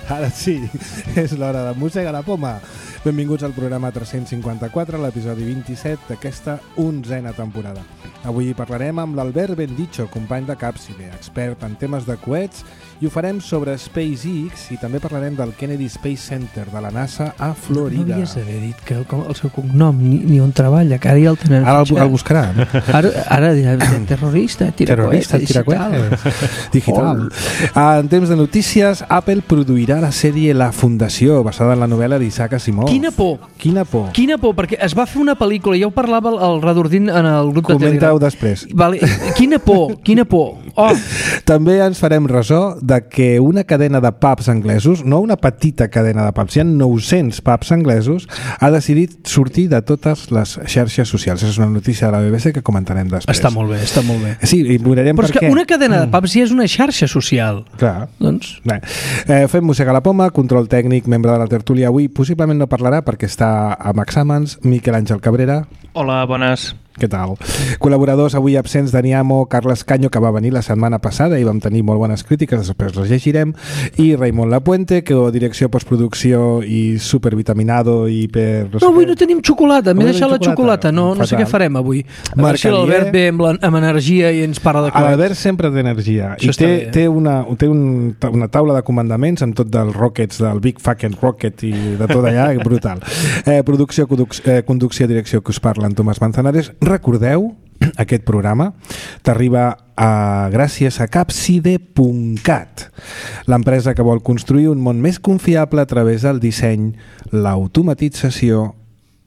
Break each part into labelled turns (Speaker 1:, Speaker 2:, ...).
Speaker 1: Ara sí, és l'hora de Mossega la Poma. Benvinguts al programa 354, l'episodi 27 d'aquesta 11a temporada. Avui parlarem amb l'Albert Bendicho, company de Capside, expert en temes de coets, i ho farem sobre SpaceX i també parlarem del Kennedy Space Center de la NASA a Florida.
Speaker 2: No havies d'haver dit que el seu cognom ni on treballa, que ara ja el tenen.
Speaker 1: Ara el buscarà.
Speaker 2: Ara dirà terrorista, tiracoets,
Speaker 1: digital. En temps de notícies, Apple produirà la sèrie La Fundació, basada en la novel·la d'Isaac Asimov.
Speaker 2: Quina por!
Speaker 1: Quina por!
Speaker 2: Quina por, perquè es va fer una pel·lícula, ja ho parlava el Redordín en el grup de Telegram.
Speaker 1: Comenta-ho després.
Speaker 2: Vale. Quina por, quina por. Oh.
Speaker 1: També ens farem ressò de que una cadena de pubs anglesos, no una petita cadena de pubs, hi ha 900 pubs anglesos, ha decidit sortir de totes les xarxes socials. És una notícia de la BBC que comentarem després.
Speaker 2: Està molt bé, està molt bé.
Speaker 1: Sí, i veurem
Speaker 2: però és que una cadena de pubs ja és una xarxa social.
Speaker 1: Clar.
Speaker 2: Doncs...
Speaker 1: Bé. Fem Mossega la Poma, control tècnic, membre de la tertúlia avui. Possiblement no parlarà perquè està amb exàmens. Miquel Àngel Cabrera.
Speaker 3: Hola, bones.
Speaker 1: Què tal? Col·laboradors avui absents: Dani Amo, Carles Canyo, que va venir la setmana passada i vam tenir molt bones crítiques, després les llegirem, i Raimon Lapuente, que direcció, postproducció i supervitaminado i per...
Speaker 2: No, avui no tenim xocolata, m'he deixat la xocolata, no sé què farem avui. A veure si l'Albert ve amb energia i ens parla de coets.
Speaker 1: L'Albert sempre té energia i té una taula de comandaments amb tot dels rockets, del Big Fucking Rocket i de tot allà, brutal. Producció, conducció, direcció, que us parla en Tomàs Manzanares. Recordeu, aquest programa t'arriba gràcies a Capside.cat, l'empresa que vol construir un món més confiable a través del disseny, l'automatització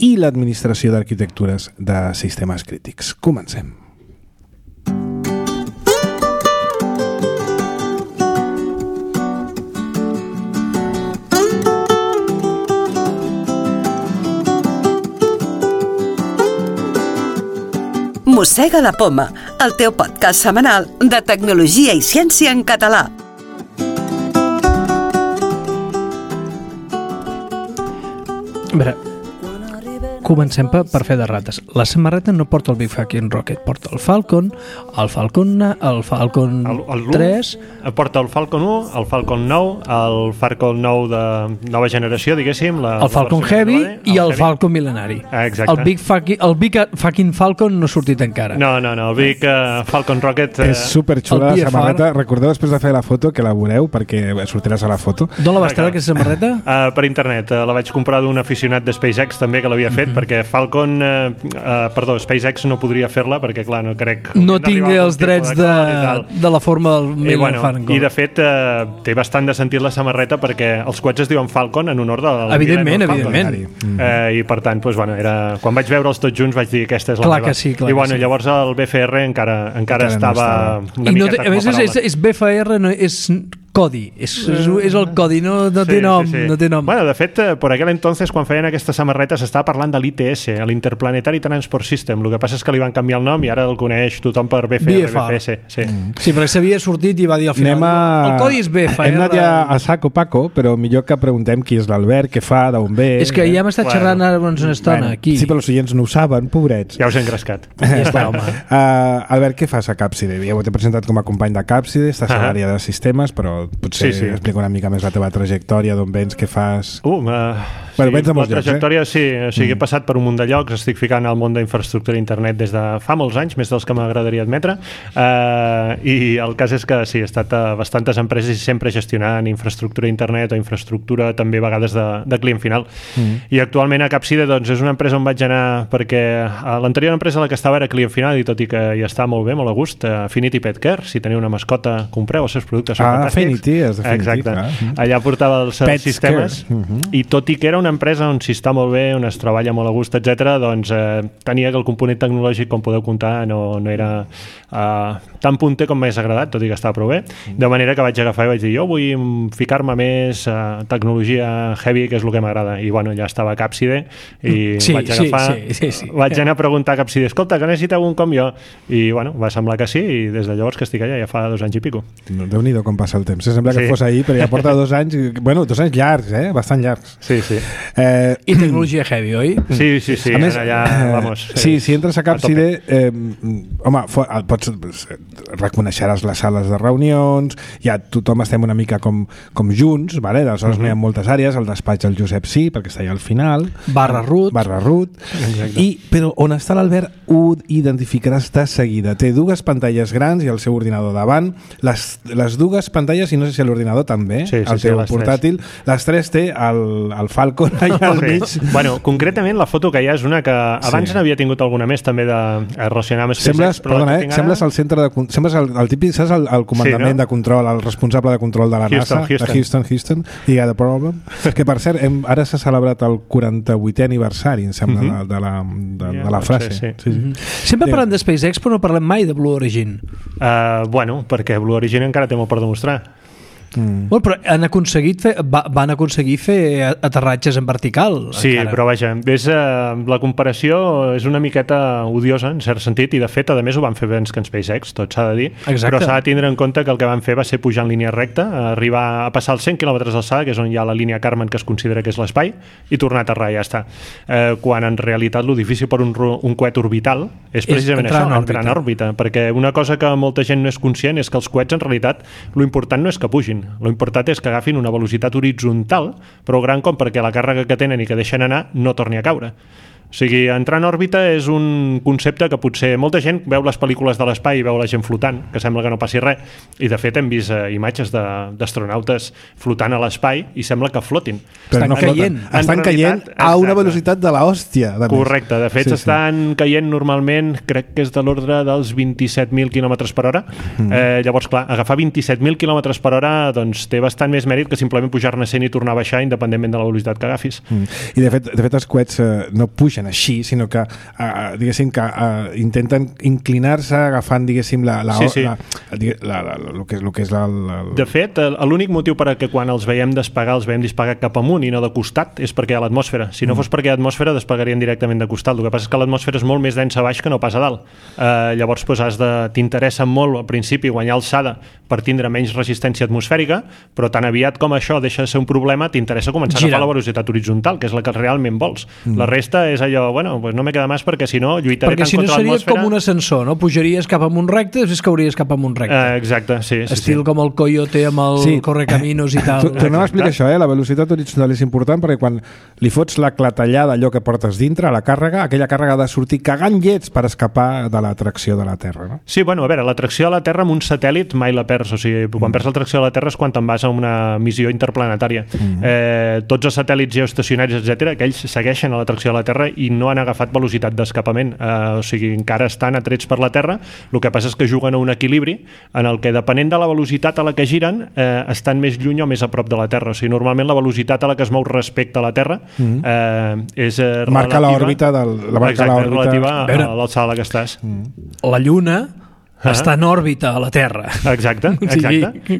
Speaker 1: i l'administració d'arquitectures de sistemes crítics. Comencem.
Speaker 4: Mossega la Poma, el teu podcast setmanal de tecnologia i ciència en català.
Speaker 2: A veure, comencem per fer de rates. La samarreta no porta el Big Fucking Rocket, porta el Falcon 3...
Speaker 3: Porta el Falcon 1, el Falcon 9, el Falcon 9 de nova generació, diguéssim.
Speaker 2: El Falcon Heavy i el Falcon Millenari.
Speaker 3: Exacte.
Speaker 2: El Big Fucking Falcon no ha sortit encara.
Speaker 3: No, el Big Falcon Rocket...
Speaker 1: És superxula la samarreta. Recordeu després de fer la foto que la veureu, perquè sortiràs a la foto.
Speaker 2: D'on la vas treure, aquesta samarreta?
Speaker 3: Per internet. La vaig comprar d'un aficionat de SpaceX també, que l'havia fet, perquè SpaceX no podria fer-la, perquè clar, no crec...
Speaker 2: No tingui els drets de la forma del Millennium Falcon.
Speaker 3: I de fet té bastant de sentit la samarreta, perquè els coets es diuen Falcon en honor del
Speaker 2: evidentment.
Speaker 3: I per tant, quan vaig veure'ls tots junts vaig dir aquesta és la meva.
Speaker 2: Clar que sí.
Speaker 3: Llavors el BFR encara estava una miqueta com a paraula.
Speaker 2: A més, és BFR, no és codi, és el codi, no té nom.
Speaker 3: Bueno, de fet, por aquel entonces, quan feien aquesta samarreta, s'estava parlant de l'ITS, l'Interplanetary Transport System. El que passa és que li van canviar el nom i ara el coneix tothom per BFS.
Speaker 2: Sí, perquè s'havia sortit i va dir al final, el codi és BFR.
Speaker 1: Hem anat ja a saco Paco, però millor que preguntem qui és l'Albert, què fa, d'on ve...
Speaker 2: És que ja hem estat xerrant ara una estona, aquí.
Speaker 1: Sí, però els oients no ho saben, pobrets.
Speaker 3: Ja us he engrescat.
Speaker 2: Ja està, home.
Speaker 1: Albert, què fas a Capside? Ja ho t'he presentat com a company de Capside, estàs a l'àrea de sistemes, però potser explica una mica més la teva trajectòria, d'on vens, què fas...
Speaker 3: Vens de molts llocs, trajectòria, sí. O sigui, he passat per un munt de llocs, estic ficant al món d'infraestructura internet des de fa molts anys, més dels que m'agradaria admetre, i el cas és que sí, he estat a bastantes empreses i sempre gestionant infraestructura internet o infraestructura també a vegades de client final. I actualment a Capside doncs, és una empresa on vaig anar perquè l'anterior empresa a la que estava era client final i tot i que hi està molt bé, molt a gust, Affinity Pet Care, si teniu una mascota, compreu els seus productes, són fantàstics.
Speaker 1: Affinity, és definitiu.
Speaker 3: Exacte. Allà portava els sistemes i tot i que era una empresa on s'hi està molt bé, on es treballa molt a gust, etc., doncs tenia que el component tecnològic, com podeu comptar, no era tan punter com m'hagués agradat, tot i que estava prou bé. De manera que vaig agafar i vaig dir, jo vull ficar-me més a tecnologia heavy, que és el que m'agrada. I bueno, ja estava a Capside i vaig agafar... Vaig anar a preguntar a Capside, escolta, que necessiteu un com jo? I bueno, va semblar que sí, i des de llavors que estic allà ja fa 2 anys i pico.
Speaker 1: Déu-n'hi-do com passa el temps. Sembla que fos ahir, però ja porta 2 anys, bueno, 2 anys llargs, bastant llargs.
Speaker 3: Sí.
Speaker 2: I tecnologia heavy, oi?
Speaker 3: Sí. A més, allà, vamos.
Speaker 1: Sí, si entres a Capcide, home, reconeixeràs les sales de reunions, ja tothom estem una mica com junts, vale? Aleshores no hi ha moltes àrees, el despatx del Josep sí, perquè està allà al final.
Speaker 2: Barra root.
Speaker 1: Però on està l'Albert ho identificaràs de seguida. Té dues pantalles grans i el seu ordinador davant. Les dues pantalles, i no sé si l'ordinador també, el teu portàtil, les tres té el Falcon allà al mig.
Speaker 3: Bueno, concretament la foto que hi ha és una que abans n'havia tingut alguna més també de relacionar amb SpaceX.
Speaker 1: Sembles el centre de... Sembles el típic, saps, el comandament de control, el responsable de control de la NASA, de Houston, i The Problem. Que, per cert, ara s'ha celebrat el 48è aniversari, em sembla, de la frase.
Speaker 2: Sempre parlem de SpaceX, però no parlem mai de Blue Origin.
Speaker 3: Bueno, perquè Blue Origin encara té molt per demostrar.
Speaker 2: Bueno, però van aconseguir fer aterratges en vertical.
Speaker 3: Sí, encara. Però vaja, la comparació és una miqueta odiosa en cert sentit, i de fet, a més ho van fer abans que en SpaceX, tot s'ha de dir.
Speaker 2: Exacte.
Speaker 3: Però s'ha de tindre en compte que el que van fer va ser pujar en línia recta, arribar a passar els 100 km d'alçada, que és on hi ha la línia Kármán, que es considera que és l'espai, i tornar a aterrar, ja està. Quan en realitat lo difícil per un coet orbital és precisament això, entrar en òrbita, perquè una cosa que molta gent no és conscient és que els coets en realitat lo important no és que pugin. Lo important és que agafin una velocitat horitzontal prou gran com perquè la càrrega que tenen i que deixen anar no torni a caure. O sigui, entrar en òrbita és un concepte que potser molta gent veu les pel·lícules de l'espai i veu la gent flotant, que sembla que no passi res, i de fet hem vist imatges d'astronautes flotant a l'espai i sembla que flotin.
Speaker 1: Però no caient. Estan caient a una velocitat de l'hòstia.
Speaker 3: Correcte, de fet estan caient normalment, crec que és de l'ordre dels 27.000 km per hora. Llavors, clar, agafar 27.000 km per hora doncs té bastant més mèrit que simplement pujar-ne 100 i tornar a baixar independentment de la velocitat que agafis.
Speaker 1: I de fet els coets no pugen així, sinó que diguéssim que intenten inclinar-se agafant, diguéssim, el que és
Speaker 3: De fet, l'únic motiu per a que quan els veiem despegar cap amunt i no de costat és perquè hi ha l'atmosfera. Si no fos perquè hi ha atmosfera, despegarien directament de costat. El que passa és que l'atmosfera és molt més densa a baix que no pas a dalt. Llavors t'interessa molt al principi guanyar alçada per tindre menys resistència atmosfèrica, però tan aviat com això deixa de ser un problema, t'interessa començar a agafar la velocitat horitzontal, que és la que realment vols. La resta és allò, bueno, pues no me queda més perquè si no lluitaré tant contra l'atmosfera.
Speaker 2: Perquè si no seria com un ascensor, no? Pujaries cap amunt recte i després cauries cap amunt recte.
Speaker 3: Exacte, sí.
Speaker 2: Estil com el Coyote amb el Correcaminos i tal.
Speaker 1: Tornem a explicar això, la velocitat horitzontal és important perquè quan li fots la clatellada allò que portes dintre, a la càrrega, aquella càrrega ha de sortir cagant llets per escapar de l'atracció de la Terra, no?
Speaker 3: Sí, bueno, a veure, l'atracció de la Terra amb un satèl·lit mai la perds, o sigui, quan perds l'atracció de la Terra és quan te'n vas a una missió interplanetària. Tots els satèl·lits geoestacionaris, etcètera, aquells segueixen a l'atracció de la Terra i no han agafat velocitat d'escapament, o sigui, encara estan atrets per la Terra. El que passa és que juguen a un equilibri en el que, depenent de la velocitat a la que giren, estan més lluny o més a prop de la Terra. O sigui, normalment la velocitat a la que es mou respecte a la Terra és relativa...
Speaker 1: Marca l'òrbita
Speaker 3: relativa a l'alçada a la que estàs.
Speaker 2: La Lluna està en òrbita a la Terra.
Speaker 3: Exacte.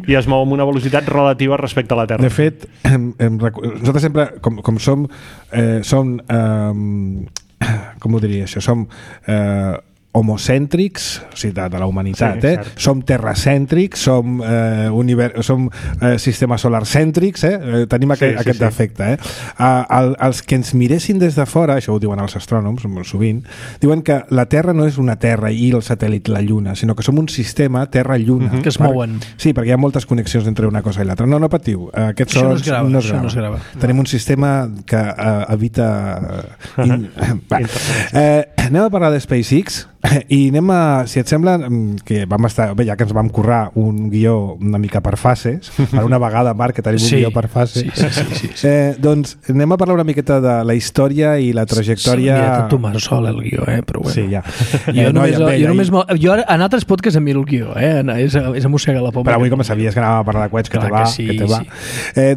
Speaker 3: I es mou amb una velocitat relativa respecte a la Terra.
Speaker 1: De fet, nosaltres sempre, com som com ho diria això, som homocèntrics, o sigui, de la humanitat, som terracèntrics, som sistema solar-cèntrics, tenim aquest defecte. Els que ens miressin des de fora, això ho diuen els astrònoms molt sovint, diuen que la Terra no és una Terra i el satèl·lit la Lluna, sinó que som un sistema Terra-Lluna.
Speaker 2: Que es mouen.
Speaker 1: Sí, perquè hi ha moltes connexions entre una cosa i l'altra. No patiu, aquests sons no es grava. Tenim un sistema que evita... Anem a parlar de SpaceX i anem a, si et sembla, que vam estar, bé, ja que ens vam currar un guió una mica per fases, per una vegada, Marc, que tenim un guió per fases, doncs anem a parlar una miqueta de la història i la trajectòria...
Speaker 2: Sí, mira, tu m'has sol el guió, però bueno.
Speaker 1: Sí, ja.
Speaker 2: Jo en altres podcasts em miro el guió, és a mossegar la poma.
Speaker 1: Però avui, com sabies que anàvem a parlar de coets, que te va.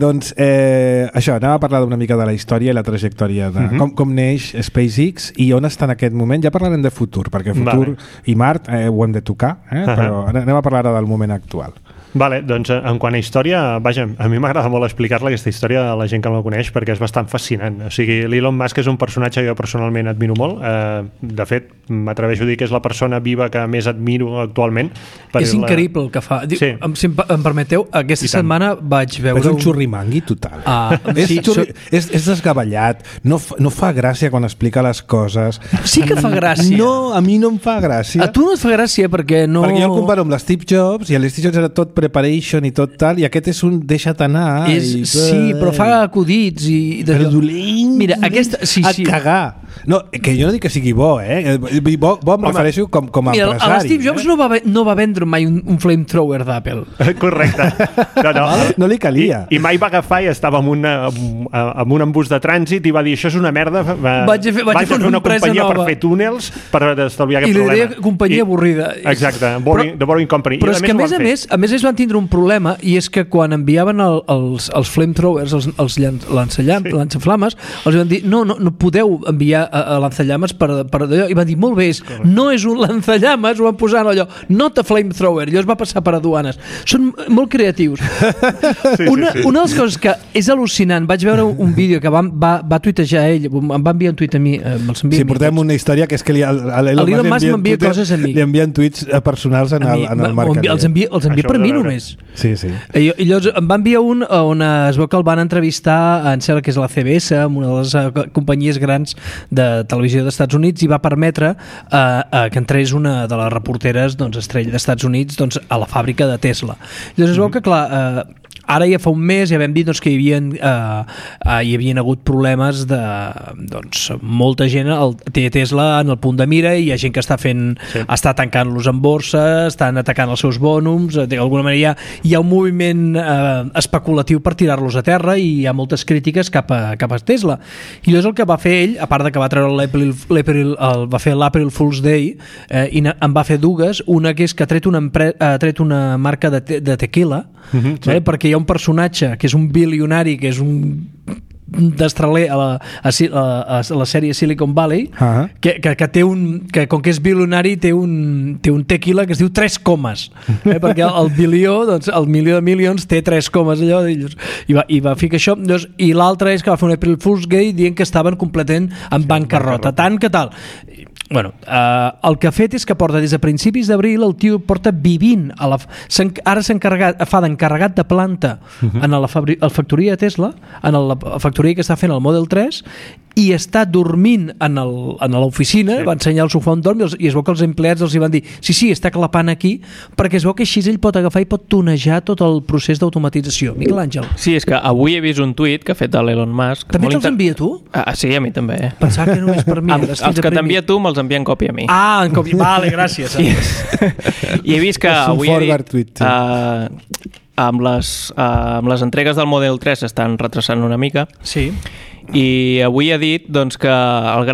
Speaker 1: Doncs, això, anem a parlar una mica de la història i la trajectòria de com neix SpaceX i on està en aquest moment. Ja parlarem de futur, perquè futur i Mart ho hem de tocar, però anem a parlar ara del moment actual.
Speaker 3: Vale, doncs en quant a història, vaja, a mi m'agrada molt explicar-la aquesta història a la gent que no la coneix perquè és bastant fascinant. O sigui, l'Elon Musk és un personatge que jo personalment admiro molt. De fet, m'atreveixo a dir que és la persona viva que més admiro actualment.
Speaker 2: És increïble el que fa. Sí. Si em permeteu, aquesta setmana vaig veure...
Speaker 1: És un xurrimangui total. És desgavellat, no fa gràcia quan explica les coses.
Speaker 2: Sí que fa gràcia.
Speaker 1: No, a mi no em fa gràcia.
Speaker 2: A tu no et fa gràcia perquè no...
Speaker 1: Perquè jo el comparo amb l'Steve Jobs i l'Steve Jobs era tot preparation i tot tal, i aquest és un deixa't anar.
Speaker 2: Sí, però fa acudits i...
Speaker 1: Però dolent.
Speaker 2: Mira, aquesta... Sí.
Speaker 1: Cagar. No, que jo no dic que sigui bo, Bo em refereixo com a empresari.
Speaker 2: Mira, l'Steve Jobs no va vendre mai un flamethrower d'Apple.
Speaker 3: Correcte.
Speaker 1: No li calia.
Speaker 3: I mai va agafar i estava amb un embús de trànsit i va dir, això és una merda, vaig a fer una companyia nova per fer túnels per estalviar aquest problema.
Speaker 2: I li deia companyia avorrida.
Speaker 3: Exacte, The Boring Company.
Speaker 2: Però és que a més van tindre un problema, i és que quan enviaven els flamethrowers, els lançaflames, els van dir, no podeu enviar a lançallames per allò, i van dir, molt bé, no és un lançallames, ho van posar en allò, not a flamethrower, allò es va passar per aduanes. Són molt creatius. Una de les coses que és al·lucinant, vaig veure un vídeo que va tuitejar ell, em va enviar un tuit a mi,
Speaker 1: sí, portem una història que és que
Speaker 2: l'Elon Musk m'envia coses a mi.
Speaker 1: Li envien tuits personals en el Marc.
Speaker 2: Els envia per mi només.
Speaker 1: Sí.
Speaker 2: I llavors em va enviar un on es veu que el van entrevistar, em sembla que és la CBS, una de les companyies grans de televisió dels Estats Units, i va permetre que entrés una de les reporteres estrella dels Estats Units a la fàbrica de Tesla. Llavors es veu que, clar, ara ja fa un mes ja vam dir que hi havien hagut problemes de molta gent té Tesla en el punt de mira, i hi ha gent que està tancant-los en borsa, estan atacant els seus bònums, d'alguna manera hi ha un moviment especulatiu per tirar-los a terra, i hi ha moltes crítiques cap a Tesla. I llavors el que va fer ell, a part de que va treure va fer l'April Fool's Day, i en va fer dues, una que és que ha tret una marca de tequila, perquè hi ha un personatge que és un bilionari, que és un destraler a la sèrie Silicon Valley, que té que com que és bilionari té un tequila que es diu 3 comes, perquè el bilió, el milió de milions té 3 comes allò, i va ficar això. I l'altre és que va fer un April Fool's Day dient que estaven completament en bancarrota, tant que tal. Bueno, el que ha fet és que porta des de principis d'abril, el tio porta vivint ara fa d'encarregat de planta en la factoria de Tesla, en la factoria que està fent el Model 3, i està dormint en l'oficina, va ensenyar el sofà on dorm, i es veu que els empleats els hi van dir sí, està clapant aquí, perquè es veu que així ell pot agafar i pot tunejar tot el procés d'automatització. Miquel Àngel.
Speaker 5: Sí, és que avui he vist un tuit que ha fet l'Elon Musk.
Speaker 2: També te'ls envia tu?
Speaker 5: Sí, a mi també.
Speaker 2: Pensava que només per mi.
Speaker 5: Els que t'envia tu me'ls envia en còpia a mi.
Speaker 2: En còpia. Vale, gràcies.
Speaker 5: I he vist que avui amb les entregues del Model 3 s'estan retrasant una mica.
Speaker 2: Sí.
Speaker 5: I avui ha dit que el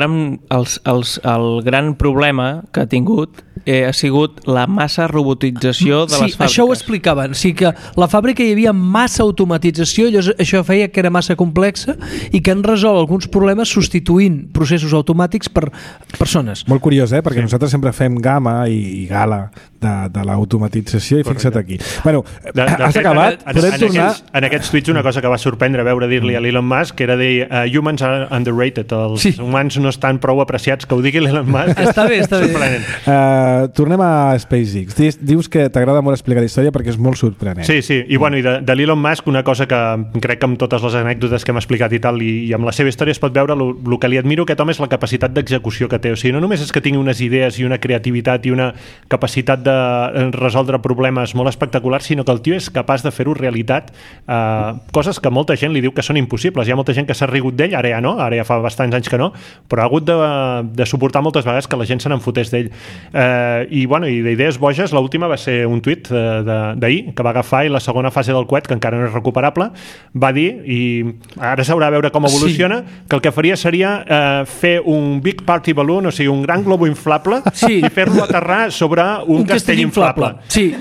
Speaker 5: gran problema que ha tingut ha sigut la massa robotització de les fàbriques. Sí, això ho
Speaker 2: explicaven. O sigui que la fàbrica hi havia massa automatització, això feia que era massa complexa, i que han resolt alguns problemes substituint processos automàtics per persones.
Speaker 1: Molt curiós, perquè nosaltres sempre fem gamma i gala de l'automatització, i fixa't aquí. Bueno, has acabat? Podem tornar...
Speaker 3: En aquests tuits una cosa que va sorprendre veure dir-li a l'Elon Musk era dir humans are underrated, els humans no estan prou apreciats, que ho digui l'Elon Musk.
Speaker 2: Està bé.
Speaker 1: Tornem a SpaceX. Dius que t'agrada molt explicar la història perquè és molt sorprenent.
Speaker 3: Sí, i de l'Elon Musk, una cosa que crec que amb totes les anècdotes que hem explicat i tal, i amb la seva història es pot veure el que li admiro aquest home és la capacitat d'execució que té. O sigui, no només és que tingui unes idees i una creativitat i una capacitat de resoldre problemes molt espectaculars, sinó que el tio és capaç de fer-ho realitat, coses que molta gent li diu que són impossibles. Hi ha molta gent que s'ha rigut d'ell, ara ja no, ara ja fa bastants anys que no, però ha hagut de suportar moltes vegades que la gent se n'enfotés d'ell. I d'idees boges, l'última va ser un tuit d'ahir, que va agafar, i la segona fase del coet, que encara no és recuperable, va dir, i ara s'haurà de veure com evoluciona, que el que faria seria fer un big party balloon, o sigui, un gran globo inflable, i fer-lo aterrar sobre un castell inflable.
Speaker 2: Sí,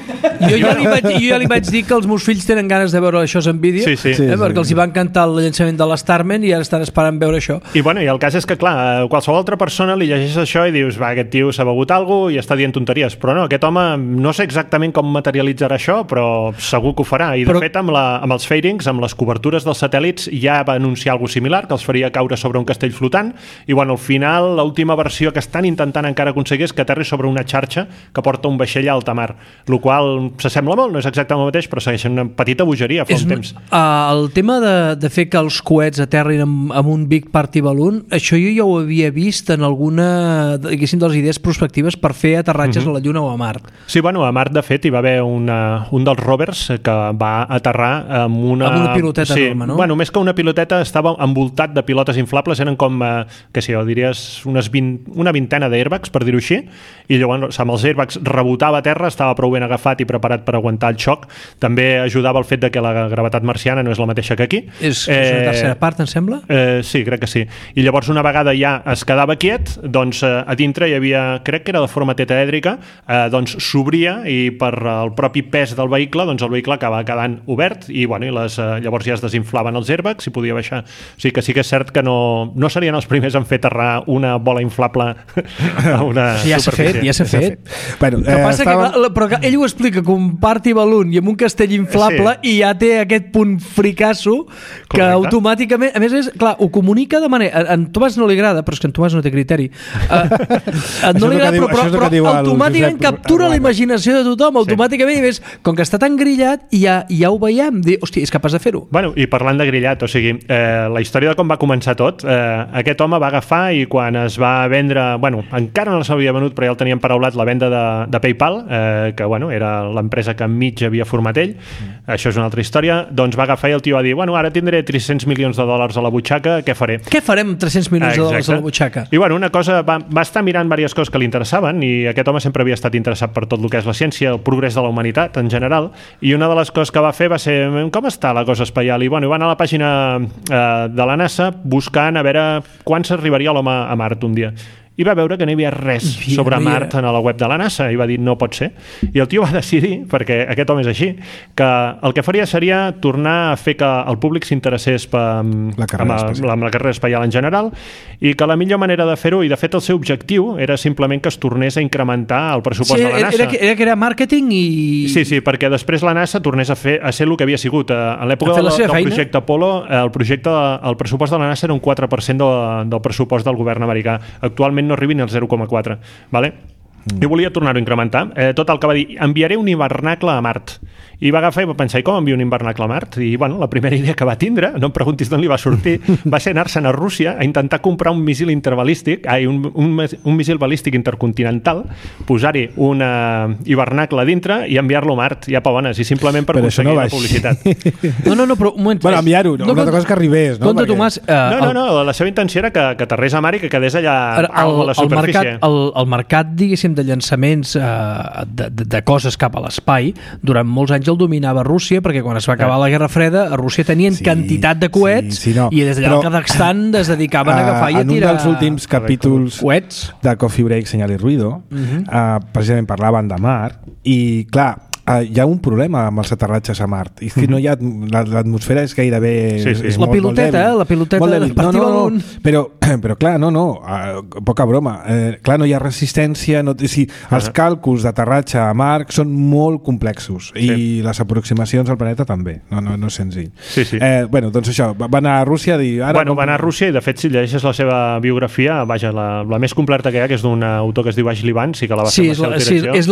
Speaker 2: jo ja li vaig dir que els meus fills tenen ganes de veure això en vídeo, perquè els hi va encantar el llançament de l'Starman i ara estan esperant veure això.
Speaker 3: I el cas és que, clar, qualsevol altra persona li llegeix això i dius, aquest tio s'ha begut alguna cosa i està dient tonteries, però no, aquest home no sé exactament com materialitzarà això, però segur que ho farà, i de fet amb els fairings, amb les cobertures dels satèl·lits ja va anunciar alguna similar, que els faria caure sobre un castell flotant, i bueno, al final l'última versió que estan intentant encara aconseguir és que aterri sobre una xarxa que porta un vaixell a alta mar, el qual s'assembla molt, no és exactament el mateix, però segueixen una petita bogeria fa un temps.
Speaker 2: El tema de fer que els coets aterrin amb un Big Party Balloon, això jo ja ho havia vist en alguna, diguéssim, de les idees prospectives per fer aterratges a la Lluna o a Mart.
Speaker 3: Sí, bueno, a Mart, de fet, hi va haver un dels rovers que va aterrar amb una
Speaker 2: piloteta enorme, no?
Speaker 3: Bueno, més que una piloteta, estava envoltat de pilotes inflables, eren com, què sé jo, diries una vintena d'airbags, per dir-ho així, i llavors amb els airbags rebotava a terra, estava prou ben agafat i preparat per aguantar el xoc. També ajudava el fet de que la gravetat marciana no és la mateixa que aquí.
Speaker 2: És una tercera part, em sembla?
Speaker 3: Sí, crec que sí. I llavors una vegada ja es quedava quiet, doncs a dintre hi havia, crec que era de forma tetraèdrica, doncs s'obria i per el propi pes del vehicle, doncs el vehicle acaba quedant obert i, bueno, i llavors ja es desinflaven els airbags i podia baixar. O sigui que sí que és cert que no serien els primers en fer aterrar una bola inflable a una superfície.
Speaker 2: Ja s'ha fet.
Speaker 1: Bueno,
Speaker 2: que passa però ell ho explica com un party balloon i amb un castell inflable i ja té aquest punt fricasso que automàticament, a més és, clar, ho comunica de manera, a en Tomàs no li agrada, però és que en Tomàs no té criteri, no li agrada, però automàticament captura la imaginació de tothom, automàticament, i més, com que està tan grillat ja ho veiem, hòstia, és capaç de fer-ho.
Speaker 3: Bueno, i parlant de grillat, o sigui, la història de com va començar tot, aquest home va agafar i quan es va vendre, bueno, encara no s'havia venut, però ja el tenien paraulat, la venda de PayPal, que bueno, era l'empresa que enmig havia format ell, això és una altra història, doncs va agafar i el tio va dir, bueno, ara tindré $300 milions a la butxaca, què faré?
Speaker 2: Què farem amb $300 milions a la butxaca?
Speaker 3: I bueno, una cosa, va estar mirant diverses coses que li interessaven i aquest home sempre havia estat interessat per tot el que és la ciència, el progrés de la humanitat en general, i una de les coses que va fer va ser, com està la cosa espacial? I bueno, va anar a la pàgina de la NASA buscant a veure quan s'arribaria l'home a Mart un dia. I va veure que no hi havia res sobre Mart a la web de la NASA i va dir no pot ser. I el tio va decidir, perquè aquest home és així, que el que faria seria tornar a fer que el públic s'interessés amb la carrera espacial en general i que la millor manera de fer-ho, i de fet el seu objectiu era simplement que es tornés a incrementar el pressupost de la NASA.
Speaker 2: Era que era màrqueting i...
Speaker 3: Sí, perquè després la NASA tornés a ser el que havia sigut. En l'època del projecte Apollo, el pressupost de la NASA era un 4% del pressupost del govern americà. Actualment no arribin al 0,4, ¿vale? I volia tornar-ho a incrementar. Tot el que va dir, enviaré un hivernacle a Mart. I va agafar i va pensar, i com envio un hivernacle a Mart? I bueno, la primera idea que va tindre, no em preguntis d'on li va sortir, va ser anar-se'n a Rússia a intentar comprar un míssil interbalístic, un míssil balístic intercontinental, posar-hi un hivernacle a dintre i enviar-lo a Mart, ja pa bones, i simplement per aconseguir la publicitat.
Speaker 2: No, però un moment.
Speaker 1: Bueno, enviar-ho, una altra cosa que arribés, no?
Speaker 2: Compte, Tomàs.
Speaker 3: No, la seva intenció era que aterrés a Mar i que quedés allà a la superfície.
Speaker 2: El mercat, diguéssim, de llançaments de coses cap a l'espai, durant molts anys el dominava Rússia, perquè quan es va acabar la Guerra Freda a Rússia tenien quantitat de coets i des d'allà al Kazakhstan es dedicaven a agafar i a tirar...
Speaker 1: En un dels últims capítols de Coffee Break, Señal y Ruido, precisament parlaven de Mart i, clar, hi ha un problema amb els aterratges a Mart. I és que no hi ha... L'atmosfera és gairebé... És
Speaker 2: la piloteta del partit balloon.
Speaker 1: Però clar, poca broma. Clar, no hi ha resistència, els càlculs d'aterratge a Mart són molt complexos i les aproximacions al planeta també. No és senzill. Bueno, doncs això, va anar a Rússia a dir...
Speaker 3: Va anar a Rússia i de fet si llegeixes la seva biografia, vaja, la més completa que hi ha, que és d'un autor que es diu Ashley Vance i que la va fer la seva direcció.
Speaker 2: Sí, és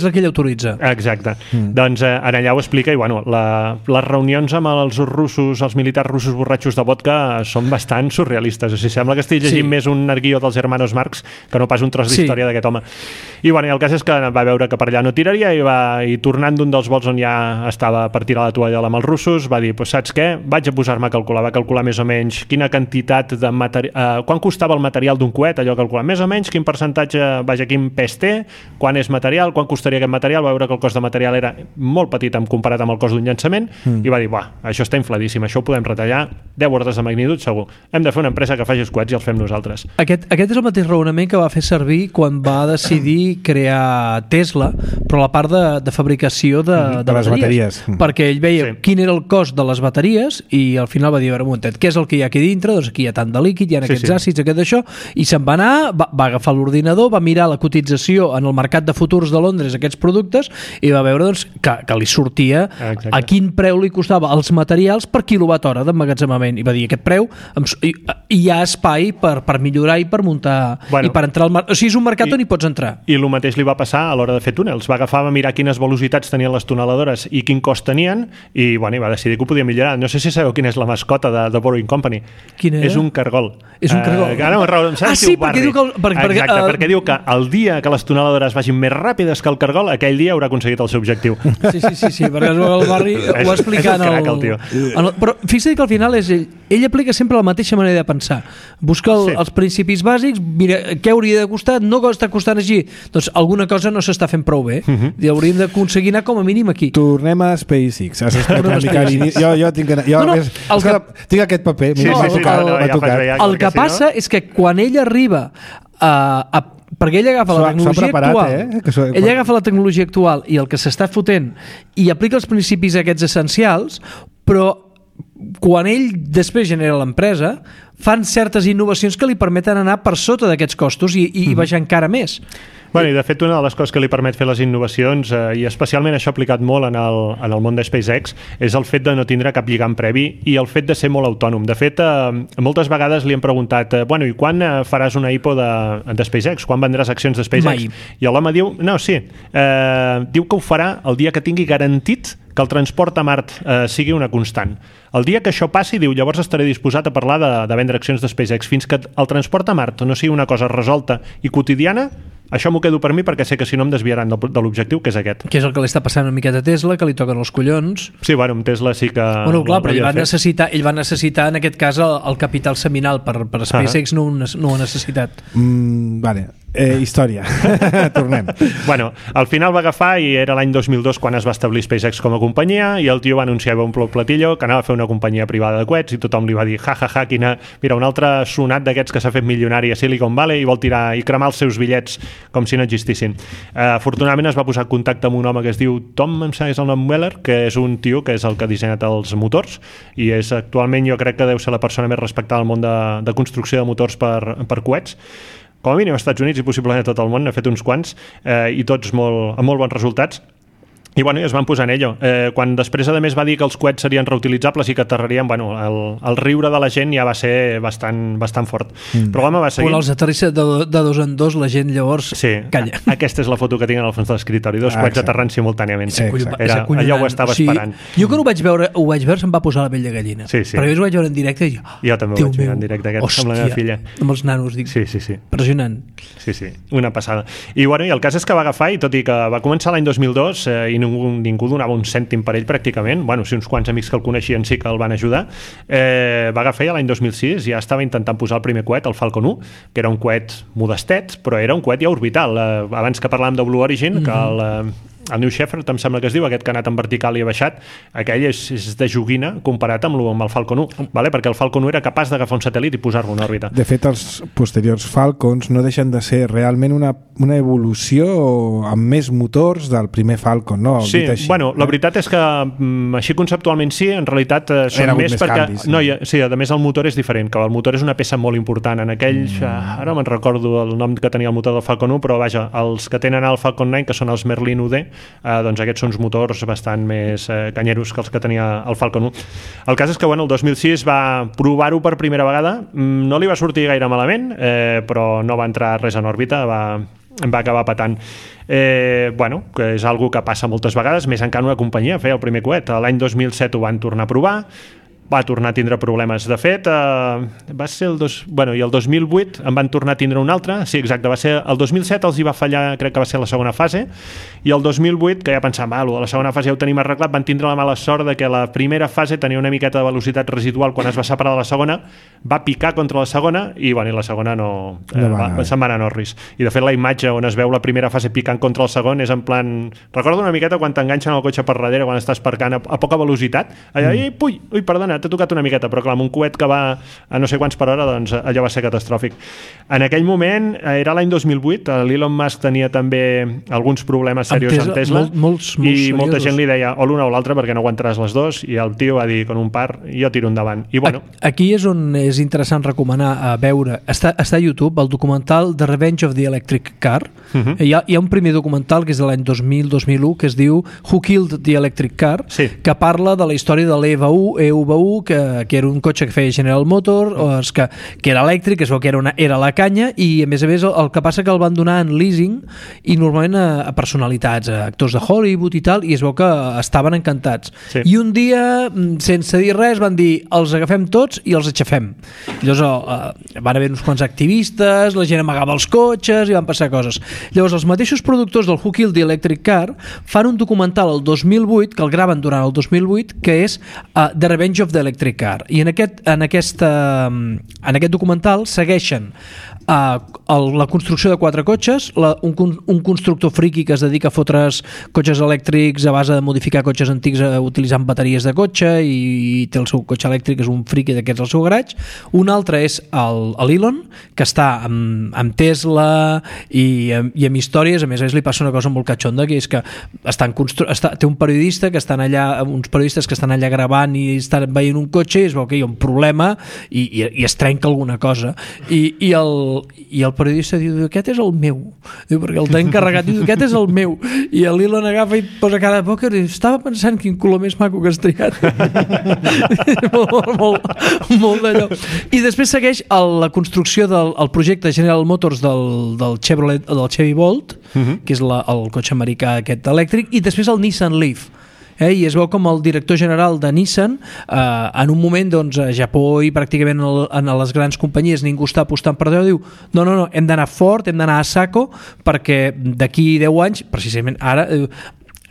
Speaker 2: la que ell autoritza.
Speaker 3: Exacte. Doncs en allà ho explica i bueno, les reunions amb els russos, els militars russos borratxos de vodka són bastant surrealistes, o sigui, sembla que estic llegint més un arguió dels hermanos Marx que no pas un tros d'història d'aquest home. I bueno, el cas és que va veure que per allà no tiraria i tornant d'un dels vols on ja estava per tirar la tovallola amb els russos, va dir, saps què? Vaig a posar-me a calcular, va calcular més o menys quina quantitat de material, quan costava el material d'un coet, allò calcular més o menys, quin percentatge, quin pes té, quan és material, quan costaria aquest material, va veure que el cost de material material era molt petit comparat amb el cost d'un llançament, i va dir, això està infladíssim, això ho podem retallar 10 ordres de magnitud segur, hem de fer una empresa que faci els coets i els fem nosaltres.
Speaker 2: Aquest és el mateix raonament que va fer servir quan va decidir crear Tesla, però la part de fabricació de
Speaker 1: les bateries.
Speaker 2: Perquè ell veia quin era el cost de les bateries i al final va dir, a veure, un momentet, què és el que hi ha aquí dintre? Doncs aquí hi ha tant de líquid, hi ha aquests àcids, aquest d'això, i se'n va anar, va agafar l'ordinador, va mirar la cotització en el mercat de futurs de Londres aquests productes i va veure doncs, que li sortia a quin preu li costava els materials per quilowatt hora d'emmagatzemament, i va dir, aquest preu hi ha espai per millorar i per muntar, i per entrar al mercat, o sigui, és un mercat on hi pots entrar.
Speaker 3: I el mateix li va passar a l'hora de fer túnels, va agafar, va mirar quines velocitats tenien les tuneladores i quin cost tenien, i va decidir que ho podia millorar. No sé si sabeu quina és la mascota de Boring Company.
Speaker 2: Quina era?
Speaker 3: És un cargol.
Speaker 2: És un cargol.
Speaker 3: Perquè diu que el dia que les tuneladores vagin més ràpides que el cargol, aquell dia haurà aconseguit el seu objectiu.
Speaker 2: Sí, perquè el Barry ho va explicar però fixa't que al final és ell aplica sempre la mateixa manera de pensar. Busca els principis bàsics, mira què hauria de costar, no està costant així, doncs alguna cosa no s'està fent prou bé, i hauríem d'aconseguir anar com a mínim aquí.
Speaker 1: Tornem a SpaceX. Jo tinc aquest paper.
Speaker 2: El que passa és que quan ell arriba perquè ell agafa la tecnologia actual, ell agafa la tecnologia actual i el que s'està fotent i aplica els principis aquests essencials, però quan ell després genera l'empresa fan certes innovacions que li permeten anar per sota d'aquests costos i baixar encara més.
Speaker 3: I de fet una de les coses que li permet fer les innovacions, i especialment això aplicat molt en el món de SpaceX, és el fet de no tindre cap lligam previ i el fet de ser molt autònom. De fet, moltes vegades li han preguntat i quan faràs una IPO de SpaceX? Quan vendràs accions de SpaceX?
Speaker 2: Mai.
Speaker 3: I l'home diu, diu que ho farà el dia que tingui garantit que el transport a Mart sigui una constant. El dia que això passi, diu, llavors estaré disposat a parlar de vendre accions de SpaceX. Fins que el transport a Mart no sigui una cosa resolta i quotidiana, això m'ho quedo per mi perquè sé que si no em desviaran de l'objectiu, que és aquest.
Speaker 2: Que és el que li està passant una miqueta a Tesla, que li toquen els collons.
Speaker 3: Sí, amb Tesla sí que...
Speaker 2: Clar, però ell va necessitar en aquest cas el capital seminal per SpaceX no ho ha necessitat.
Speaker 1: Història. Tornem.
Speaker 3: Al final va agafar i era l'any 2002 quan es va establir SpaceX com a companyia i el tio va anunciar un platillo que anava a fer una companyia privada de coets i tothom li va dir mira, un altre sonat d'aquests que s'ha fet milionari a Silicon Valley i vol tirar i cremar els seus bitllets com si no existissin. Afortunadament es va posar en contacte amb un home que es diu Tom, em sembla que és el nom Weller, que és un tio que és el que ha dissenyat els motors i és actualment jo crec que deu ser la persona més respectada al món de construcció de motors per coets. Com a mínim als Estats Units i possiblement a tot el món, n'ha fet uns quants i tots amb molt bons resultats. I es van posar en ello. Quan després a més va dir que els coets serien reutilitzables i que aterrarien, el riure de la gent ja va ser bastant fort. Però l'home va seguir...
Speaker 2: Quan els aterrissa de dos en dos, la gent llavors calla.
Speaker 3: Aquesta és la foto que tinc al fons de l'escriptori, dos coets aterrant simultàniament.
Speaker 2: Allò
Speaker 3: ho estava esperant.
Speaker 2: Jo quan ho vaig veure se'm va posar la pell de gallina. Perquè jo ho vaig veure en directe i
Speaker 3: jo també ho vaig veure en directe amb la meva filla.
Speaker 2: Amb els nanos, dic.
Speaker 3: Sí.
Speaker 2: Impressionant.
Speaker 3: Sí, una passada. I el cas és que va agafar i tot i que va començar l'any 2002 i ningú donava un cèntim per ell pràcticament, sí, uns quants amics que el coneixien sí que el van ajudar, va agafar ja l'any 2006, ja estava intentant posar el primer coet, el Falcon 1, que era un coet modestet, però era un coet ja orbital. Abans que parlàvem de Blue Origin, que el New Shepard, em sembla que es diu, aquest que ha anat en vertical i ha baixat, aquell és de joguina comparat amb el Falcon 1, perquè el Falcon 1 era capaç d'agafar un satèl·lit i posar-lo en òrbita.
Speaker 1: De fet, els posteriors Falcons no deixen de ser realment una evolució amb més motors del primer Falcon, no?
Speaker 3: Sí, la veritat és que així conceptualment sí, en realitat són més perquè... Sí, a més el motor és diferent, que el motor és una peça molt important. En aquells, ara me'n recordo el nom que tenia el motor del Falcon 1, però vaja, els que tenen el Falcon 9, que són els Merlin UD, doncs aquests són uns motors bastant més canyeros que els que tenia el Falcon 1. El cas és que el 2006 va provar-ho per primera vegada, no li va sortir gaire malament, però no va entrar res en òrbita, va acabar patant. Que és algo que passa moltes vegades, més encara una companyia feia el primer coet. L'any 2007 ho van tornar a provar, va tornar a tindre problemes. De fet, va ser i el 2008 en van tornar a tindre un altre, sí, exacte, va ser el 2007 els hi va fallar, crec que va ser la segona fase, i el 2008, que ja pensàvem, la segona fase ja ho tenim arreglat, van tindre la mala sort de que la primera fase tenia una miqueta de velocitat residual quan es va separar de la segona, va picar contra la segona i la segona se'n va anar Norris. I de fet la imatge on es veu la primera fase picant contra el segon és en plan... Recordo una miqueta quan t'enganxen el cotxe per darrere quan estàs parcant a poca velocitat, allà, ui, perdona, t'ha tocat una miqueta, però clar, amb un coet que va a no sé quants per hora, doncs allò va ser catastròfic. En aquell moment, era l'any 2008, l'Elon Musk tenia també alguns problemes seriosos amb Tesla, i molta gent li deia o l'una o l'altra perquè no aguantaràs les dos, i el tio va dir con un par, jo tiro endavant. I bueno...
Speaker 2: Aquí és on és interessant recomanar a veure, està a YouTube el documental The Revenge of the Electric Car. Hi ha un primer documental que és de l'any 2000-2001 que es diu Who Killed the Electric Car, que parla de la història de l'EV1, que era un cotxe que feia General Motors, que era elèctric, que es veu que era la canya, i a més el que passa que el van donar en leasing i normalment a personalitats, a actors de Hollywood i tal, i es veu que estaven encantats. I un dia, sense dir res, van dir els agafem tots i els aixafem. Llavors van haver uns quants activistes, la gent amagava els cotxes i van passar coses. Llavors els mateixos productors del Who Killed the Electric Car fan un documental el 2008, que el graven durant el 2008, que és The Revenge of the Electric Car, i en aquest documental segueixen la construcció de 4 cotxes, un constructor friqui que es dedica a fotre's cotxes elèctrics a base de modificar cotxes antics utilitzant bateries de cotxe, i té el seu cotxe elèctric, és un friqui d'aquests al seu garatge. Un altre és l'Elon, que està amb Tesla i amb històries. A més li passa una cosa molt catxonda, que és que té un periodista que estan allà, uns periodistes que estan allà gravant i estan veient un cotxe, i es veu que hi ha un problema i es trenca alguna cosa, i el periodista diu, aquest és el meu, perquè el t'ha encarregat, diu, aquest és el meu, i l'Elon agafa i posa cara de pòquer i estava pensant quin color més maco que has triat. molt d'allò. I després segueix la construcció del projecte General Motors del Chevy Bolt, que és el cotxe americà aquest elèctric, i després el Nissan Leaf. I es veu com el director general de Nissan en un moment, doncs, a Japó i pràcticament en les grans companyies ningú està apostant per allò, diu no, hem d'anar fort, hem d'anar a saco, perquè d'aquí 10 anys, precisament ara,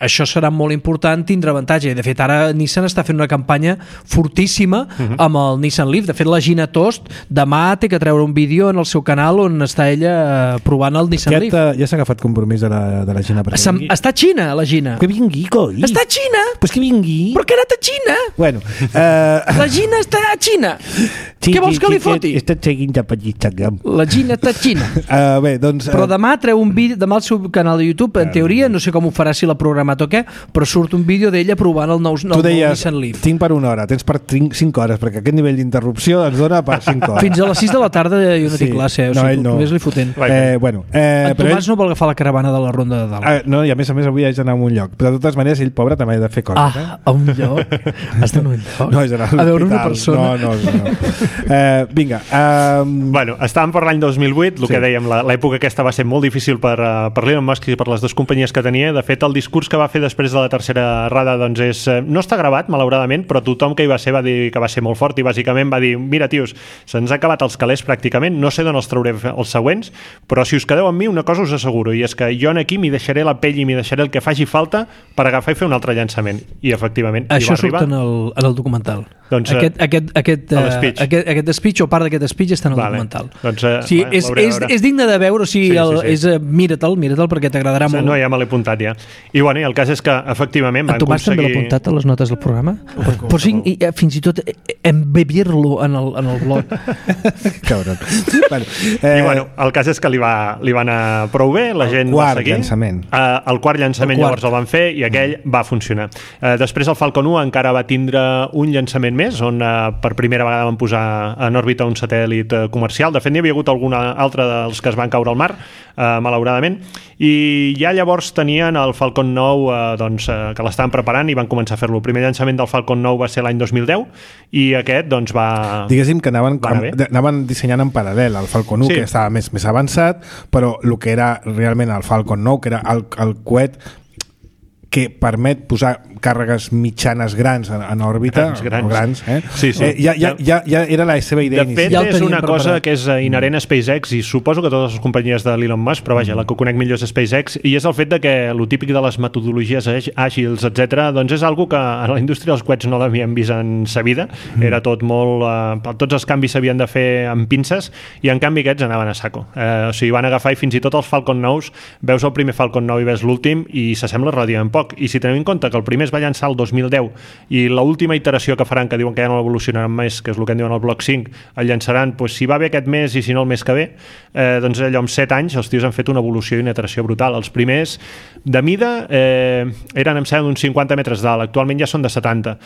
Speaker 2: això serà molt important tindre avantatge. De fet, ara Nissan està fent una campanya fortíssima amb el Nissan Leaf. De fet, la Gina Tost demà té que treure un vídeo en el seu canal on està ella provant el Nissan Leaf.
Speaker 1: Ja s'ha agafat compromís de la Gina per vingui.
Speaker 2: Està a Xina, la Gina.
Speaker 1: Que vingui, coi.
Speaker 2: Està a Xina.
Speaker 1: Pues que vingui.
Speaker 2: Però que ha anat a Xina.
Speaker 1: Bueno.
Speaker 2: La Gina està a Xina. Què vols que li foti?
Speaker 1: Està seguint per Instagram.
Speaker 2: La Gina està a Xina.
Speaker 1: Bé, doncs...
Speaker 2: Però demà treu un vídeo, demà al seu canal de YouTube, en teoria, no sé com ho farà, si l'ha programat o què, però surt un vídeo d'ella provant el nou Nissan Leaf.
Speaker 1: Tinc per una hora, tens per 5 hores, perquè aquest nivell d'interrupció ens dona per 5 hores.
Speaker 2: Fins a les 6 de la tarda jo no tinc classe, o sigui, només li fotent. En Tomàs no vol agafar la caravana de la Ronda de Dalt.
Speaker 1: No, i a més avui haig d'anar a un lloc, però de totes maneres ell, pobre, també ha de fer coses.
Speaker 2: A un lloc? Has d'anar a un lloc?
Speaker 1: No, és anar
Speaker 2: a veure una persona.
Speaker 1: No. Vinga.
Speaker 3: Estàvem per l'any 2008, el que dèiem, l'època aquesta va ser molt difícil per l'Elon Musk i per les dues companyies que tenia. De fet, el discurs que va fer després de la tercera errada doncs no està gravat, malauradament, però tothom que hi va ser va dir que va ser molt fort i bàsicament va dir, mira, tios, se'ns ha acabat els calés pràcticament, no sé d'on els trauré els següents, però si us quedeu amb mi, una cosa us asseguro, i és que jo aquí m'hi deixaré la pell i m'hi deixaré el que faci falta per agafar i fer un altre llançament. I efectivament
Speaker 2: això
Speaker 3: hi va arribar.
Speaker 2: Això surt en el documental.
Speaker 3: Doncs,
Speaker 2: aquest speech o part d'aquest speech està en el documental.
Speaker 3: Doncs,
Speaker 2: sí, és digne de veure, mira-te'l perquè t'agradarà molt.
Speaker 3: No, ja me l'he apuntat ja. I bueno, el cas és que efectivament van
Speaker 2: Tomàs
Speaker 3: aconseguir...
Speaker 2: també l'ha apuntat a les notes del programa? Però sí, fins i tot embebir-lo en el blog.
Speaker 1: Cabron.
Speaker 3: I bueno, el cas és que li va anar prou bé, la gent va seguir. El quart llançament llavors el van fer i aquell va funcionar. Després el Falcon 1 encara va tindre un llançament més, on per primera vegada van posar en òrbita un satèl·lit comercial. De fet, n'hi havia hagut alguna altra dels que es van caure al mar, malauradament, i ja llavors tenien el Falcon 9 que l'estaven preparant i van començar a fer-lo. El primer llançament del Falcon 9 va ser l'any 2010 i aquest doncs va...
Speaker 1: Diguéssim que anaven dissenyant en paral·lel el Falcon 1, que estava més avançat, però el que era realment el Falcon 9, que era el coet que permet posar càrregues mitjanes grans en òrbita, grans.
Speaker 3: Sí.
Speaker 1: Ja era la seva idea
Speaker 3: inicial. De fet, és una cosa que és inherent a SpaceX, i suposo que totes les companyies de l'Elon Musk, però vaja, la que conec millor és SpaceX, i és el fet de que el típic de les metodologies àgils, etc., doncs és algo que a la indústria dels coets no l'havíem vist en sa vida. Era tot molt... tots els canvis s'havien de fer amb pinces, i en canvi aquests anaven a saco. O sigui, van agafar, i fins i tot els Falcon 9, veus el primer Falcon 9 i veus l'últim, i s'assembla relativament poc. I si tenim en compte que el primer es va llançar el 2010 i l'última iteració que faran, que diuen que ja no l'evolucionaran més, que és el que en diuen el Block 5, el llançaran, doncs, si va bé aquest mes i si no el mes que ve, doncs allò amb 7 anys els tios han fet una evolució i una iteració brutal. Els primers de mida eren, em sembla, d'uns 50 metres d'alt, actualment ja són de 70,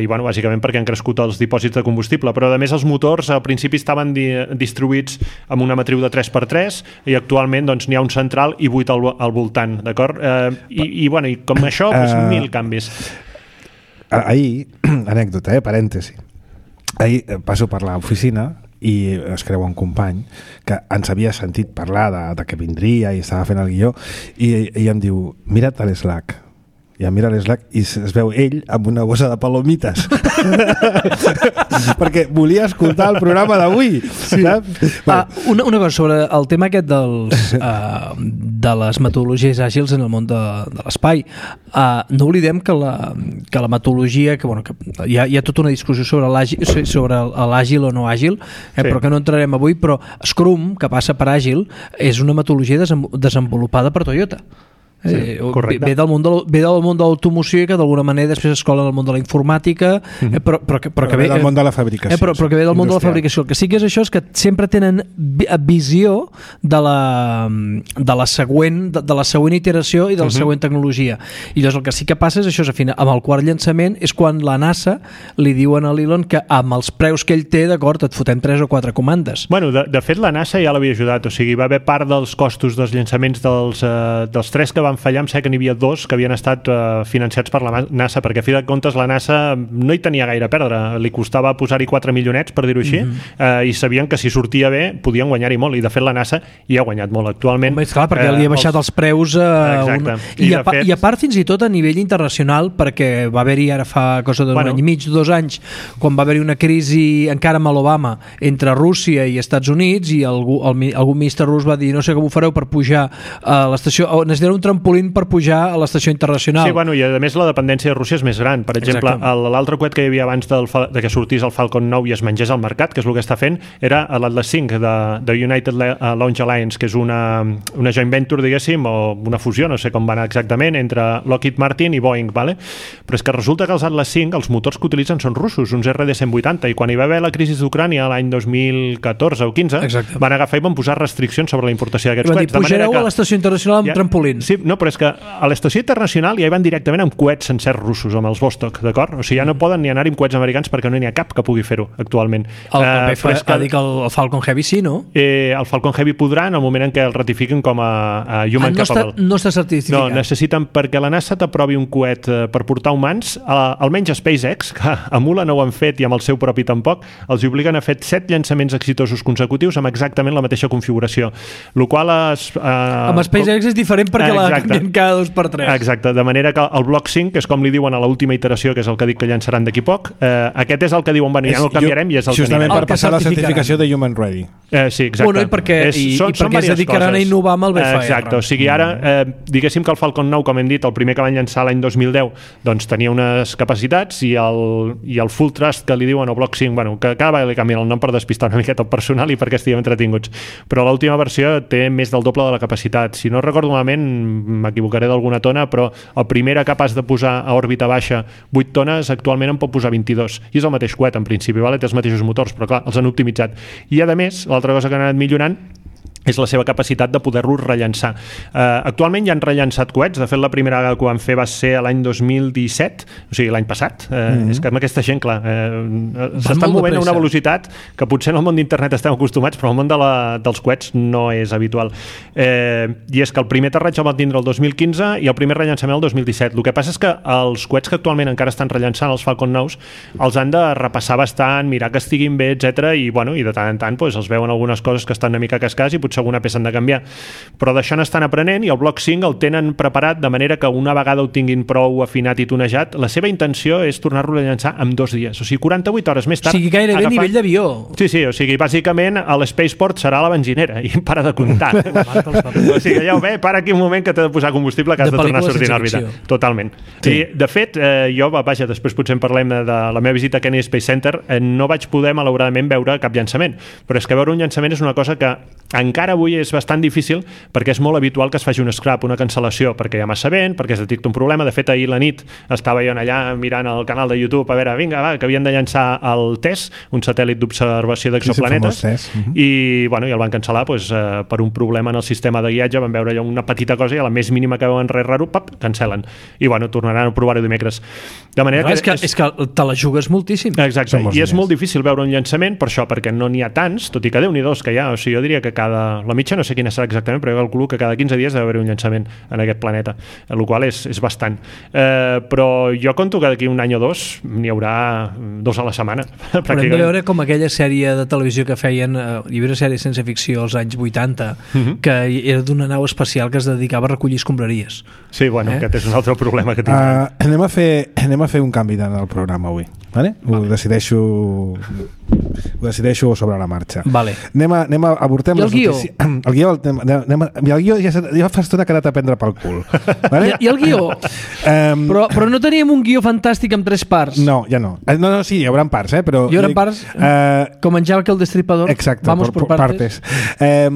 Speaker 3: i bueno, bàsicament perquè han crescut els dipòsits de combustible, però a més els motors al principi estaven distribuïts amb una matriu de 3x3 i actualment doncs n'hi ha un central i 8 al voltant, d'acord? I bueno, i com això, doncs 1000 canvis.
Speaker 1: Ahir, anècdota, parèntesi, ahir passo per l'oficina i es creu un company que ens havia sentit parlar de que vindria i estava fent el guió i em diu, mira't a l'Slack. I em mira l'Slack i es veu ell amb una bossa de palomites perquè volia escoltar el programa d'avui. Sí.
Speaker 2: Una cosa sobre el tema aquest de les metodologies àgils en el món de l'espai. No oblidem que la metodologia, que hi ha tota una discussió sobre l'àgil o no àgil, però que no entrarem avui, però Scrum, que passa per àgil, és una metodologia desenvolupada per Toyota. Ve del món de l'automoció i que d'alguna manera després es cola en el món de la informàtica, però que ve
Speaker 1: del món de la fabricació,
Speaker 2: però que ve del món de la fabricació. El que sí que és això és que sempre tenen visió de la següent iteració i de la següent tecnologia, i llavors el que sí que passa és això, amb el quart llançament és quan la NASA li diuen a l'Elon que amb els preus que ell té, d'acord, et fotem 3 o 4 comandes.
Speaker 3: Bueno, de fet la NASA ja l'havia ajudat, o sigui, va haver part dels costos dels llançaments dels 3 que van fallar, em sé que n'hi havia 2 que havien estat financiats per la NASA, perquè a fi de comptes la NASA no hi tenia gaire a perdre, li costava posar-hi 4 milionets, per dir-ho així, i sabien que si sortia bé podien guanyar-hi molt, i de fet la NASA hi ha guanyat molt actualment.
Speaker 2: És clar, perquè li ha baixat els preus i a part fins i tot a nivell internacional, perquè va haver-hi ara fa cosa d'un any i mig, 2 anys, quan va haver-hi una crisi encara amb l'Obama entre Rússia i Estats Units, i algun ministre rus va dir, no sé com ho fareu per pujar a l'estació, necessitareu un trampolín per pujar a l'estació internacional.
Speaker 3: Sí, bueno, i a més la dependència de Rússia és més gran. Per exemple, l'altre coet que hi havia abans de que sortís el Falcon 9 i es mengés al mercat, que és el que està fent, era l'Atlas V de United Launch Alliance, que és una joint venture, diguéssim, o una fusió, no sé com va anar exactament, entre Lockheed Martin i Boeing, vale? Però és que resulta que els Atlas V, els motors que utilitzen són russos, uns RD-180, i quan hi va haver la crisi d'Ucrània l'any 2014 o 15, van agafar i van posar restriccions sobre la importació d'aquests coets.
Speaker 2: Pujareu a l'estació internacional amb trampolins.
Speaker 3: Sí, no, però és que a l'estació internacional ja hi van directament amb coets sencers russos, amb els Vostok, d'acord? O sigui, ja no poden ni anar-hi amb coets americans perquè no n'hi ha cap que pugui fer-ho actualment.
Speaker 2: Ha dit que el Falcon Heavy sí, no?
Speaker 3: El Falcon Heavy podrà en el moment en què el ratifiquin com a human capable.
Speaker 2: No està certificat.
Speaker 3: No, necessiten, perquè la NASA t'aprovi un coet per portar humans, almenys a SpaceX, que a Mula no ho han fet i amb el seu propi tampoc, els obliguen a fer 7 llançaments exitosos consecutius amb exactament la mateixa configuració.
Speaker 2: Amb SpaceX és diferent perquè la canvien cada 2 per 3.
Speaker 3: Exacte, de manera que el Block 5, que és com li diuen a l'última iteració, que és el que dic que llançaran d'aquí poc, aquest és el que diuen, bueno, ja no el canviarem i és el que
Speaker 1: justament per passar la certificació de Human Ready.
Speaker 3: Sí, exacte.
Speaker 2: Bueno, i perquè es dedicaran a innovar amb el BFR.
Speaker 3: Exacte, o sigui, ara, diguéssim que el Falcon 9, com hem dit, el primer que van llançar l'any 2010, doncs tenia unes capacitats i el Full Thrust que li diuen, o Block 5, bueno, que cada vegada li canvien el nom per despistar una miqueta el personal i perquè estiguem entretinguts. Però l'última versió té més del doble de la capacitat. Si no recordo malament, m'equivocaré d'alguna tona, però el primer era capaç de posar a òrbita baixa 8 tones, actualment en pot posar 22. I és el mateix coet, en principi, vale? Té els mateixos motors, però clar, els han optimitzat. I a més, l'altra cosa que han anat millorant és la seva capacitat de poder-lo rellançar. Actualment ja han rellançat coets, de fet la primera vegada que ho van fer va ser l'any 2017, o sigui l'any passat. És que amb aquesta gent, clar, s'estan movent a una velocitat que potser en el món d'internet estem acostumats, però el món dels coets no és habitual. I és que el primer aterratge el van tindre el 2015 i el primer rellançament el 2017. El que passa és que els coets que actualment encara estan rellançant, els Falcon 9, els han de repassar bastant, mirar que estiguin bé, etc. I de tant en tant els veuen algunes coses que estan una mica cascades i potser potser alguna peça han de canviar, però d'això n'estan aprenent i el Block 5 el tenen preparat de manera que una vegada ho tinguin prou afinat i tunejat, la seva intenció és tornar-lo a llançar en 2 dies, o sigui, 48 hores més tard.
Speaker 2: O sigui, gairebé a nivell d'avió.
Speaker 3: Sí, o sigui, bàsicament l'Spaceport serà la benzinera i para de comptar. O sigui, ja ho ve, para aquí un moment que t'ha de posar combustible que has de tornar a sortir en òrbita. Totalment. Sí. I, de fet, jo, vaja, després potser en parlem de la meva visita a Kennedy Space Center, no vaig poder, malauradament, veure cap llançament, però és que veure un llançament és una cosa que encara avui és bastant difícil perquè és molt habitual que es faci un scrap, una cancel·lació, perquè hi ha massa vent, perquè es detecta un problema. De fet, ahir la nit estava jo allà mirant el canal de YouTube a veure, vinga, va, que havien de llançar el TESS, un satèl·lit d'observació d'exoplanetes, i el van cancel·lar per un problema en el sistema de guiatge. Van veure allò una petita cosa i a la més mínima que veuen res raro, cancel·len. I tornaran a provar-ho dimecres. De manera que
Speaker 2: és que te la jugues moltíssim.
Speaker 3: Exacte, i és molt difícil veure un llançament per això, perquè no n'hi ha tants, tot i que Déu-n'hi-dos que hi ha. O sigui, jo diria que la mitja no sé quina serà exactament, però jo calculo que cada 15 dies deu haver un llançament en aquest planeta, el qual és bastant. Però jo conto que d'aquí un any o dos n'hi haurà 2 a la setmana.
Speaker 2: Però hem de veure com aquella sèrie de televisió que feien, hi havia una sèrie de ciència ficció als anys 80, que era d'una nau espacial que es dedicava a recollir escombraries.
Speaker 3: Sí, aquest és un altre problema que tinc.
Speaker 1: Anem a fer un canvi en el programa avui. Vale? Ho decideixo sobre la marxa.
Speaker 2: Vale.
Speaker 1: Avortem les notícies. El guió ja fa estona que ha anat a prendre pel cul. Vale?
Speaker 2: I el guió? Però no teníem un guió fantàstic amb 3 parts.
Speaker 1: No, ja no. No, sí, hi haurà parts, però...
Speaker 2: Hi haurà parts com en Jack el Destripador.
Speaker 1: Exacte,
Speaker 2: vamos por partes.
Speaker 1: Les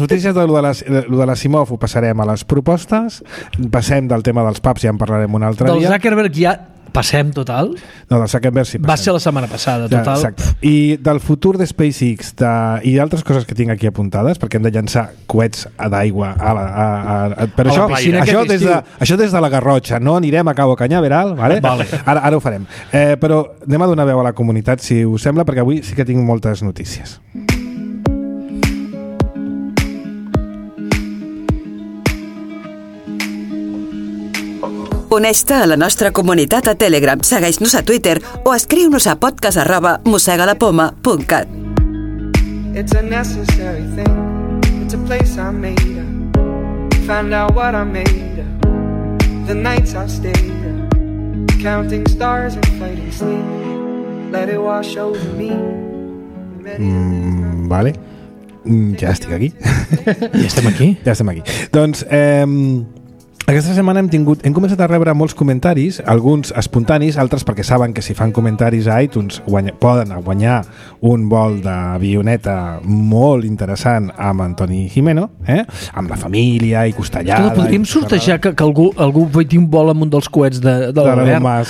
Speaker 1: notícies de lo de l'Asimov ho passarem a les propostes, passem del tema dels pubs, ja en parlarem un altre dia.
Speaker 2: Del Zuckerberg ja passem total?
Speaker 1: No, del Zuckerberg sí passem.
Speaker 2: Va ser la setmana passada, total.
Speaker 1: Exacte. I del futur de SpaceX i d'altres coses que tinc aquí apuntades, perquè hem de llançar coets d'aigua però això des de la Garrotxa, no anirem a Cabo Cañaveral, vale? Ara ho farem. Però anem a donar veu a la comunitat, si us sembla, perquè avui sí que tinc moltes notícies.
Speaker 4: Uneix-te a la nostra comunitat a Telegram, segueix-nos a Twitter o escriu-nos a podcast@mossegalapoma.cat. It's a necessary thing. It's a place I made up. Found out what I made up. The nights I stayed up. Counting stars and fighting sleep. Let it wash over me.
Speaker 1: Vale. Ja estic aquí.
Speaker 2: Ja estem aquí?
Speaker 1: Doncs aquesta setmana hem començat a rebre molts comentaris, alguns espontanis, altres perquè saben que si fan comentaris a iTunes poden guanyar un vol d'avioneta molt interessant amb Antoni Gimeno, amb la família i costellada.
Speaker 2: Podríem sortejar que algú vegi un vol amb un dels coets de l'Albert.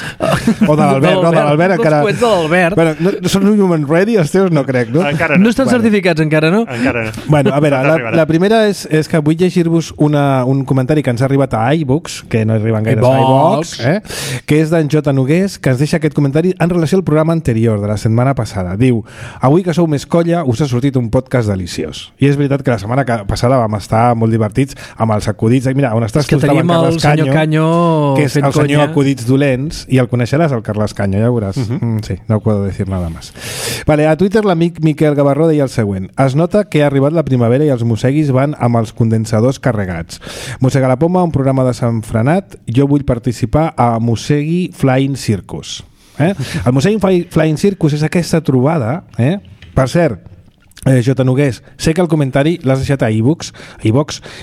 Speaker 1: O de l'Albert encara...
Speaker 2: Els coets de l'Albert.
Speaker 1: No són human ready, els teus no crec, no?
Speaker 2: No estan certificats encara, no?
Speaker 3: Encara no.
Speaker 1: Bueno, a veure, la primera és que vull llegir-vos un comentari que ens ha arribat a iBooks, que no arriben gaire a iBooks, que és d'en J. Nogués, que ens deixa aquest comentari en relació al programa anterior de la setmana passada. Diu: avui que sou més colla us ha sortit un podcast deliciós. I és veritat que la setmana passada vam estar molt divertits amb els acudits. Mira, on estàs tu estava en Carles Canyo, que és el senyor acudits dolents, i el coneixeràs, el Carles Canyo, ja veuràs. Sí, no puedo decir nada más. Vale, a Twitter l'amic Miquel Gavarró deia el següent: es nota que ha arribat la primavera i els mosseguis van amb els condensadors carregats. Mossega la Poma, un programa desenfrenat. Jo vull participar a Mossegui Flying Circus. El Mossegui Flying Circus és aquesta trobada, per cert, J. Nogués, sé que el comentari l'has deixat a iVoox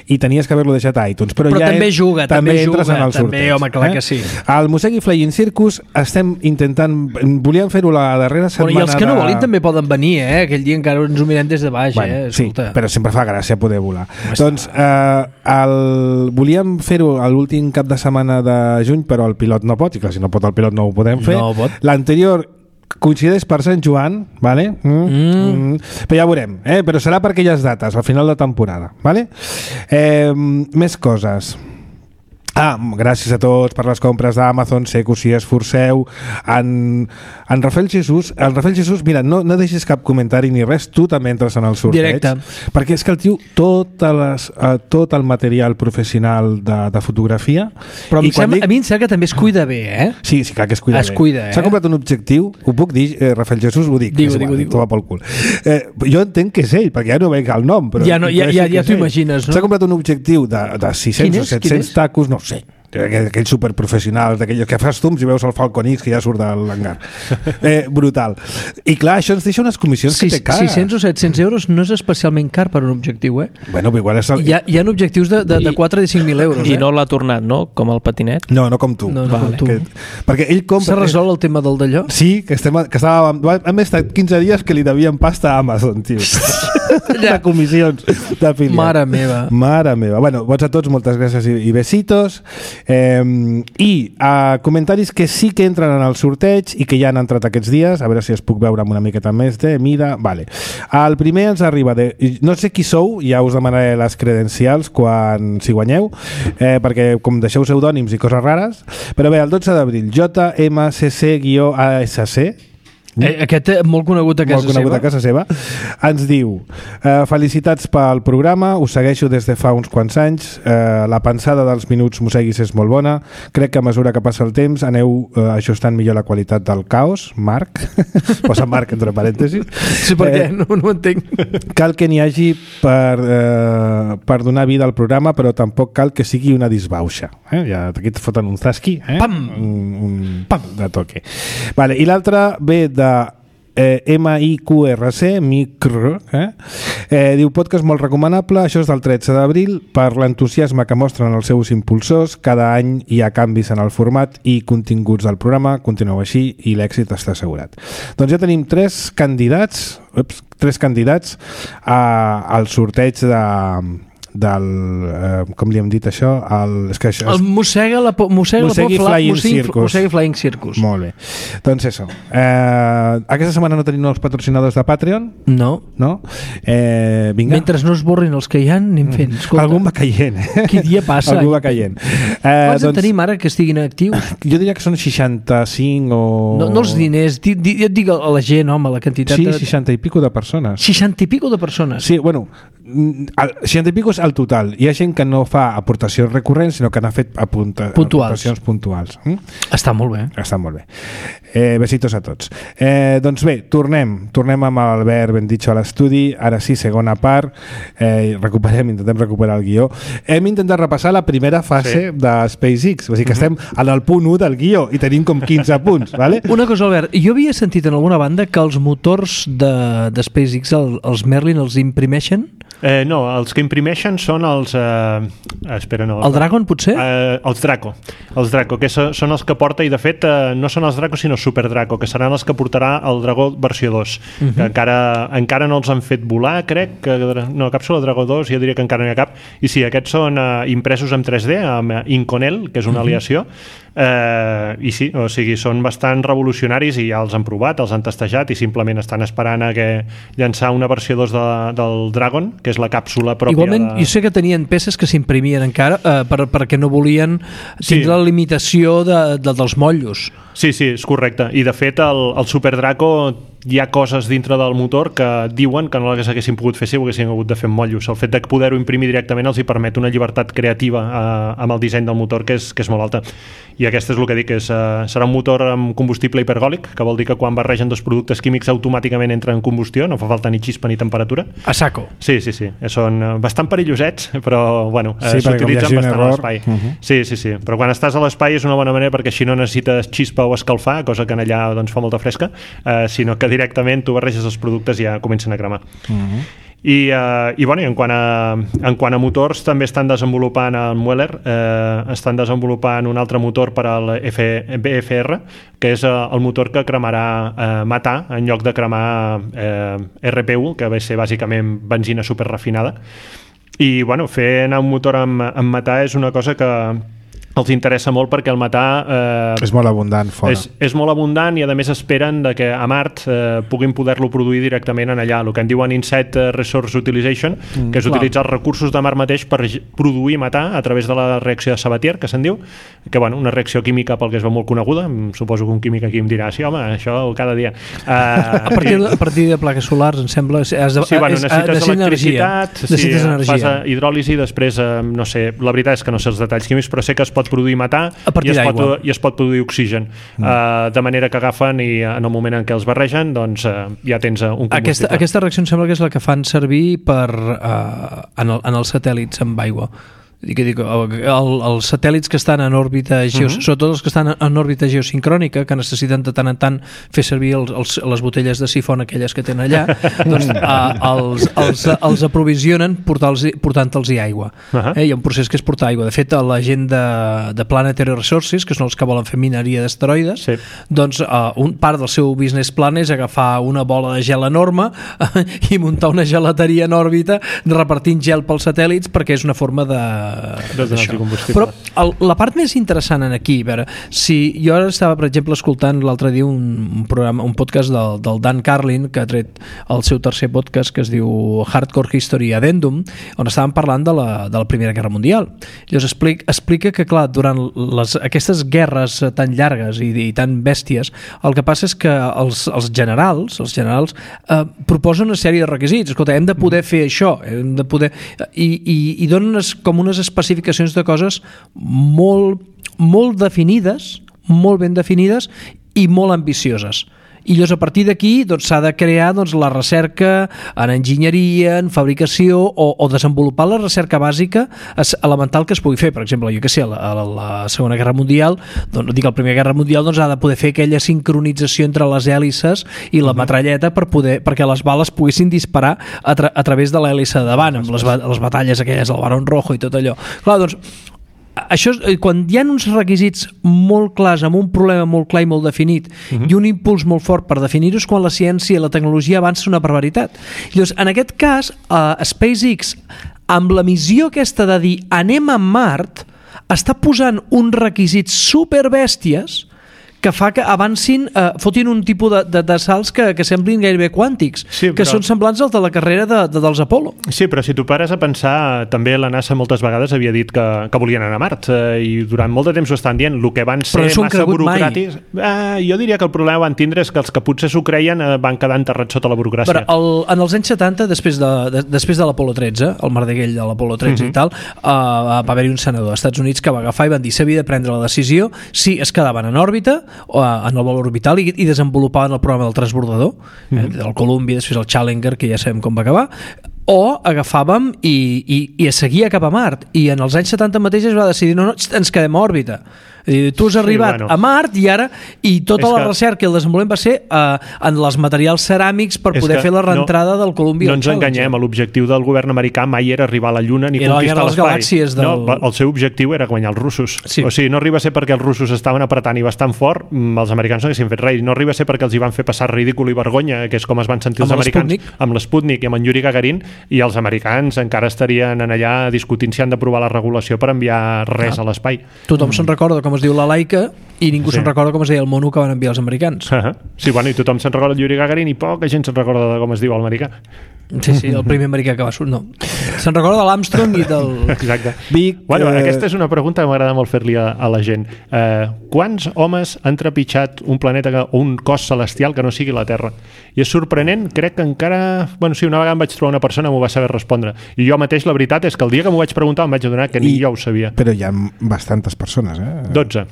Speaker 1: i tenies que haver-lo deixat a iTunes, però ja
Speaker 2: també juga,
Speaker 1: també entres en el sorteig.
Speaker 2: Home, clar que sí.
Speaker 1: Al Mossegui Flying Circus estem intentant, volíem fer-ho la darrera setmana.
Speaker 2: I els que no volin també poden venir, aquell dia encara ens ho mirem des de baix.
Speaker 1: Sí, però sempre fa gràcia poder volar. Doncs volíem fer-ho l'últim cap de setmana de juny, però el pilot no pot, i clar, si no pot el pilot no ho podem fer. L'anterior coincideix per Sant Joan, vale? Però ja veurem, però serà per aquelles dates, al final de temporada, vale? Més coses. Gràcies a tots per les compres d'Amazon, sé que us hi esforceu. En Rafael Jesús, mira, no deixis cap comentari ni res, tu també entres en el sorteig.
Speaker 2: Directe.
Speaker 1: Perquè és que el tio, tot el material professional de fotografia...
Speaker 2: Però a mi em sembla que també es cuida bé, eh?
Speaker 1: Sí, clar que es cuida bé. S'ha comprat un objectiu, ho puc dir, Rafael Jesús, ho dic.
Speaker 2: Digue.
Speaker 1: Toma pel cul. Jo entenc que és ell, perquè ja no veig el nom. Però
Speaker 2: ja t'ho imagines, no?
Speaker 1: S'ha comprat un objectiu de 600 o 700 tacos, no sé, aquells superprofessionals, d'aquells que fas zooms i veus el Falcon X que ja surt de l'hangar. Brutal. I clar, això ens deixa unes comissions que té cara.
Speaker 2: 600 o 700 euros no és especialment car per un objectiu, eh?
Speaker 1: Bueno, igual és
Speaker 2: hi ha objectius de 4 i 5.000 euros,
Speaker 5: I no l'ha tornat, no? Com el patinet?
Speaker 1: No com tu.
Speaker 2: No com tu.
Speaker 1: Perquè ell compra...
Speaker 2: S'ha resolt el tema del d'allò?
Speaker 1: Sí, que estava... Hem estat 15 dies que li devien pasta a Amazon, tio. De comissions d'afiliat.
Speaker 2: Mare meva.
Speaker 1: Bueno, vots a tots, moltes gràcies i besitos. I comentaris que sí que entren en el sorteig i que ja han entrat aquests dies, a veure si es puc veure amb una miqueta més de mida. Vale. El primer ens arriba de... No sé qui sou, ja us demanaré les credencials si guanyeu, perquè com deixeu pseudònims i coses rares, però bé, el 12 d'abril, JMCC-ASC,
Speaker 2: aquest molt conegut a casa seva.
Speaker 1: Ens diu: felicitats pel programa, us segueixo des de fa uns quants anys, la pensada dels minuts Mosseguis és molt bona, crec que a mesura que passa el temps aneu ajustant millor la qualitat del caos. Marc, posa Marc entre parèntesis.
Speaker 2: Sí, perquè no ho entenc.
Speaker 1: Cal que n'hi hagi per donar vida al programa, però tampoc cal que sigui una disbauxa. Ja aquí et foten un zasqui,
Speaker 2: pam!
Speaker 1: Un pam de toque. Vale, i l'altre ve de MIQRC, diu: podcast molt recomanable, això és del 13 d'abril, per l'entusiasme que mostren els seus impulsors, cada any hi ha canvis en el format i continguts del programa, continueu així i l'èxit està assegurat. Doncs ja tenim tres candidats al sorteig com li hem dit això? El
Speaker 2: Mossegui Flying Circus.
Speaker 1: Molt bé. Doncs això. Aquesta setmana no tenim nous patrocinadors de Patreon?
Speaker 2: No.
Speaker 1: Vinga.
Speaker 2: Mentre no es borrin els que hi ha, anem fent. Escolta,
Speaker 1: algun va caient.
Speaker 2: Quin dia passa?
Speaker 1: Algú va caient.
Speaker 2: Quants en tenim ara que estiguin actius?
Speaker 1: Jo diria que són 65 o...
Speaker 2: No els diners, jo et dic a la gent, home, la quantitat...
Speaker 1: Sí, 60 i pico de persones.
Speaker 2: 60 i pico de persones?
Speaker 1: Sí, bueno, 60 i pico és el total. Hi ha gent que no fa aportacions recurrents, sinó que n'ha fet aportacions puntuals.
Speaker 2: Està molt bé.
Speaker 1: Besitos a tots. Doncs bé, tornem amb l'Albert Bendicho a l'estudi. Ara sí, segona part. Intentem recuperar el guió. Hem intentat repassar la primera fase de SpaceX, o sigui que estem en el punt 1 del guió i tenim com 15 punts, vale?
Speaker 2: Una cosa, Albert, jo havia sentit en alguna banda que els motors de SpaceX, els Merlin, els imprimeixen?
Speaker 3: No, els que imprimeixen són els... espera, no.
Speaker 2: El Dragon, potser?
Speaker 3: Els Draco, que són els que porta, i de fet no són els Draco sinó Super Draco, que seran els que portarà el Dragó versió 2, que encara no els han fet volar, crec que no, càpsula Dragó 2 jo diria que encara no hi ha cap, i sí, aquests són impresos en 3D amb Inconel, que és una aliació, i sí, o sigui, són bastant revolucionaris i ja els han provat, els han testejat i simplement estan esperant a que llançar una versió 2 del Dragon, que és la càpsula pròpia.
Speaker 2: Igualment, jo sé que tenien peces que s'imprimien encara perquè no volien tindre la limitació dels motllos.
Speaker 3: Sí, és correcte. I de fet el Super Draco hi ha coses dintre del motor que diuen que no les haguessin pogut fer si ho haguessin hagut de fer amb motllos. El fet de poder-ho imprimir directament els hi permet una llibertat creativa amb el disseny del motor que és molt alta. I aquest és el que dic, serà un motor amb combustible hipergòlic, que vol dir que quan barregen dos productes químics automàticament entren en combustió, no fa falta ni xispa ni temperatura.
Speaker 2: A saco.
Speaker 3: Sí. Són bastant perillosets, però bueno, s'utilitzen bastant a l'espai. Sí, però quan estàs a l'espai és una bona manera perquè així no necessites xispa o escalfar, cosa que en allà doncs, fa molta fresca, sinó que directament tu barreges els productes i ja comencen a cremar. I bueno, en quant a motors també estan desenvolupant el Mueller, estan desenvolupant un altre motor per al BFR, que és el motor que cremarà metà en lloc de cremar RPU, que va ser bàsicament benzina superrefinada. I bueno, fer anar un motor amb metà és una cosa que els interessa molt perquè el metà
Speaker 1: és molt abundant fora.
Speaker 3: És molt abundant i a més esperen de que a Mart puguin poder-lo produir directament en allà, el que en diuen Inset Resource Utilization, que és utilitzar els recursos de Mart mateix per produir metà a través de la reacció de Sabatier, que se'n diu, que una reacció química pel que es veu molt coneguda, suposo que un químic aquí em dirà, sí home, això cada dia.
Speaker 2: A partir de plaques solars, em sembla,
Speaker 3: necessites electricitat,
Speaker 2: necessites energia.
Speaker 3: Fas hidròlisi, després, no sé, la veritat és que no sé els detalls químics, però sé que es pot produir metà i es pot produir oxigen, de manera que agafen i en el moment en què els barregen, doncs ja tens un combustible.
Speaker 2: Aquesta reacció em sembla que és la que fan servir en els satèl·lits amb aigua. Els satèl·lits que estan en òrbita sobretot els que estan en òrbita geosincrònica, que necessiten de tant en tant fer servir les botelles de sifon aquelles que tenen allà, doncs els aprovisionen portant-los aigua. Hi ha un procés que és portar aigua. De fet, la gent de Planetary Resources, que són els que volen fer mineria d'asteroides, doncs part del seu business plan és agafar una bola de gel enorme i muntar una gelateria en òrbita repartint gel pels satèl·lits, perquè és una forma però la part més interessant aquí, a veure, si jo ara estava per exemple escoltant l'altre dia un podcast del Dan Carlin, que ha tret el seu tercer podcast, que es diu Hardcore History Addendum, on estaven parlant de la Primera Guerra Mundial. Llavors explica que clar, durant aquestes guerres tan llargues i tan bèsties, el que passa és que els generals proposen una sèrie de requisits. Escolta, hem de poder fer això, hem de poder i donen com unes especificacions de coses molt definides, molt ben definides i molt ambicioses. I llavors a partir d'aquí s'ha de crear la recerca en enginyeria, en fabricació o desenvolupar la recerca bàsica elemental que es pugui fer. Per exemple, jo que sé, a la Segona Guerra Mundial, la Primera Guerra Mundial ha de poder fer aquella sincronització entre les hèlices i la metralleta perquè les bales poguessin disparar a través de l'hèlice de davant, amb les batalles aquelles del Barón Rojo i tot allò. Clar, doncs això, quan hi ha uns requisits molt clars, amb un problema molt clar i molt definit i un impuls molt fort per definir-ho, és quan la ciència i la tecnologia avança una barbaritat. Llavors, en aquest cas, SpaceX, amb la missió aquesta de dir anem a Mart, està posant uns requisits superbèsties que fa que avancin, fotin un tipus de salts que semblin gairebé quàntics, que són semblants als de la carrera dels Apollo.
Speaker 3: Sí, però si tu pares a pensar, també la NASA moltes vegades havia dit que volien anar a Mart, i durant molt de temps ho estan dient, el que van ser massa burocràtics. Jo diria que el problema van tindre és que els que potser s'ho creien van quedar enterrats sota la burocràcia.
Speaker 2: Però en els anys 70, després de l'Apollo 13, el Mardeguell de l'Apollo 13 i tal, va haver-hi un senador als Estats Units que va agafar i van dir s'havia de prendre la decisió si es quedaven en òrbita o en el vol orbital i desenvolupaven el programa del transbordador, del Columbia, després el Challenger, que ja sabem com va acabar, o agafàvem i es seguia cap a Mart, i en els anys 70 mateix es va decidir no, ens quedem a òrbita. Tu has arribat a Mart i tota la recerca i el desenvolupament va ser en els materials ceràmics per poder fer la reentrada del Columbia.
Speaker 3: No ens enganyem, l'objectiu del govern americà mai era arribar a la Lluna ni conquistar l'espai. El seu objectiu era guanyar els russos. O sigui, no arriba a ser perquè els russos estaven apretant i bastant fort, els americans no haguessin fet res. No arriba a ser perquè els hi van fer passar ridícul i vergonya, que és com es van sentir els americans amb l'Sputnik i amb en Yuri Gagarin, i els americans encara estarien allà discutint si han d'aprovar la regulació per enviar res a l'espai.
Speaker 2: Tothom se'n recorda com es diu la Laika i ningú se'n recorda com es deia el mono que van enviar els americans.
Speaker 3: Sí, bueno, i tothom se'n recorda el Yuri Gagarin i poca gent se'n recorda de com es diu l'americà.
Speaker 2: Sí, el primer americà que va sortir. No. Se'n recorda de l'Armstrong i del...
Speaker 3: Exacte. Aquesta és una pregunta que m'agrada molt fer-li a la gent. Quants homes han trepitjat un planeta o un cos celestial que no sigui la Terra? I és sorprenent, crec que encara... Bueno, sí, una vegada em vaig trobar una persona que m'ho va saber respondre. I jo mateix, la veritat, és que el dia que m'ho vaig preguntar em vaig adonar que ni jo ho sabia.
Speaker 1: Però hi ha bastantes persones,
Speaker 3: 12.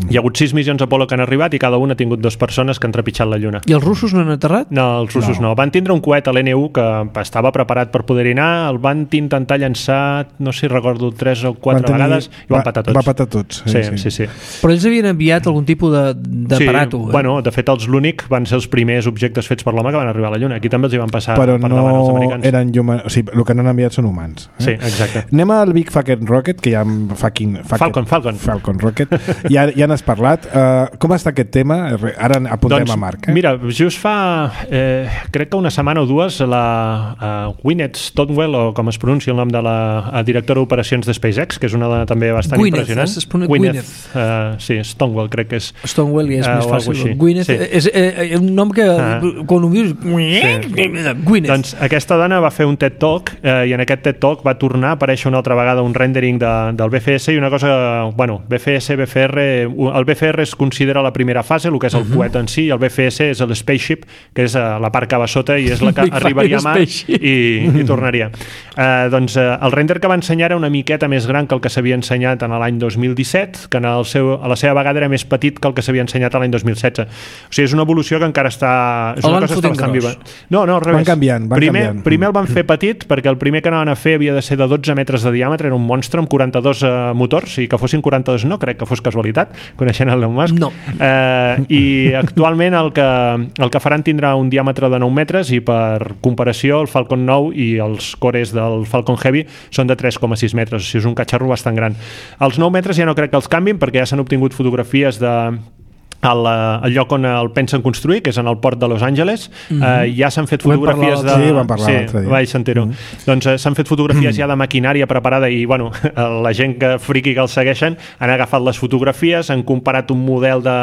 Speaker 3: Hi ha hagut 6 missions Apollo que han arribat i cada una ha tingut 2 persones que han trepitjat la Lluna.
Speaker 2: I els russos no han aterrat?
Speaker 3: No, els russos no. Van tindre un coet a l'N1 que estava preparat per poder-hi anar, el van intentar llançar, no sé si recordo, 3 o 4 vegades i van patar tots.
Speaker 1: Va patar tots,
Speaker 3: sí.
Speaker 2: Però ells havien enviat algun tipus d'aparato.
Speaker 3: Sí, bueno, de fet els l'únic van ser els primers objectes fets per l'home que van arribar a la Lluna. Aquí també els hi van passar
Speaker 1: però
Speaker 3: per davant els americans.
Speaker 1: Però no eren o sigui, el que no han enviat són humans.
Speaker 3: Sí, exacte.
Speaker 1: Anem al Big Falcon Rocket, que hi ha Falcon
Speaker 3: Rocket,
Speaker 1: Rocket. Ja n'has parlat. Com està aquest tema? Ara apuntem a Marc.
Speaker 3: Mira, just fa crec que una setmana o dues la Gwyneth Stonewall, o com es pronuncia el nom de la directora d'operacions de SpaceX, que és una dona també bastant impressionant.
Speaker 2: Gwyneth.
Speaker 3: Sí, Stonewall crec que és.
Speaker 2: Stonewall és més fàcil. Gwyneth és un nom que quan ho dius Gwyneth.
Speaker 3: Doncs aquesta dona va fer un TED Talk i en aquest TED Talk va tornar a aparèixer una altra vegada un rendering del BFS i una cosa, bueno, BFS, BFR, el BFR es considera la primera fase, el que és el coet en si, i el BFS és el Spaceship, que és la part que va sota i és la que arribaria a mà i tornaria. Doncs el render que va ensenyar era una miqueta més gran que el que s'havia ensenyat en l'any 2017, que a la seva vegada era més petit que el que s'havia ensenyat a l'any 2016. O sigui, és una evolució que encara està... És una cosa que està bastant viva. No, al revés.
Speaker 1: Van canviant.
Speaker 3: Primer el van fer petit, perquè el primer que anaven a fer havia de ser de 12 metres de diàmetre, era un monstre amb 42 motors, i que fossin 42 no crec que fos casualitat, coneixent el Elon Musk.
Speaker 2: No.
Speaker 3: I actualment el que faran tindrà un diàmetre de 9 metres i per comparació el Falcon 9 i els cores del Falcon Heavy són de 3,6 metres, o sigui, és un catxarro bastant gran. Els 9 metres ja no crec que els canvin perquè ja s'han obtingut fotografies al lloc on el pensen construir, que és en el port de Los Angeles. Ja s'han fet fotografies de...
Speaker 1: Sí, vam parlar l'altre dia.
Speaker 3: Vaig sentir-ho. Doncs s'han fet fotografies ja de maquinària preparada i, bueno, la gent que friqui que els segueixen han agafat les fotografies, han comparat un model de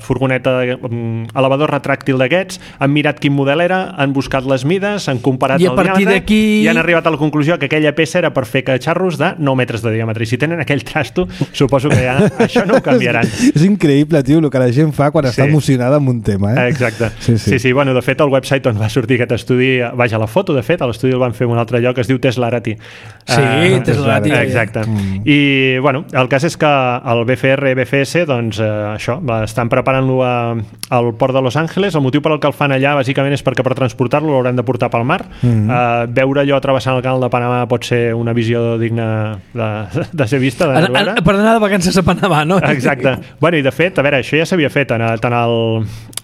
Speaker 3: furgoneta elevador retràctil d'aquests, han mirat quin model era, han buscat les mides, han comparat el diàmetre i han arribat a la conclusió que aquella peça era per fer catxarros de 9 metres de diàmetre. I si tenen aquell trasto, suposo que ja això no ho canviaran.
Speaker 1: És increïble, tio, el que la gent fa quan està emocionada amb un tema,
Speaker 3: Exacte. Sí, bueno, de fet, el website on va sortir aquest estudi, vaja, la foto, de fet, a l'estudi el van fer en un altre lloc, es diu Teslarati.
Speaker 2: Sí, Teslarati.
Speaker 3: Exacte. I, bueno, el cas és que el BFR, BFS, doncs, això, estan preparant-lo al port de Los Angeles. El motiu per al que el fan allà, bàsicament, és perquè per transportar-lo l'hauran de portar pel mar. Veure allò travessant el canal de Panamà pot ser una visió digna de ser vista.
Speaker 2: Per anar de vacances a Panamà, no?
Speaker 3: Exacte. Bueno, i de fet, a veure, això ja s'havia fet tant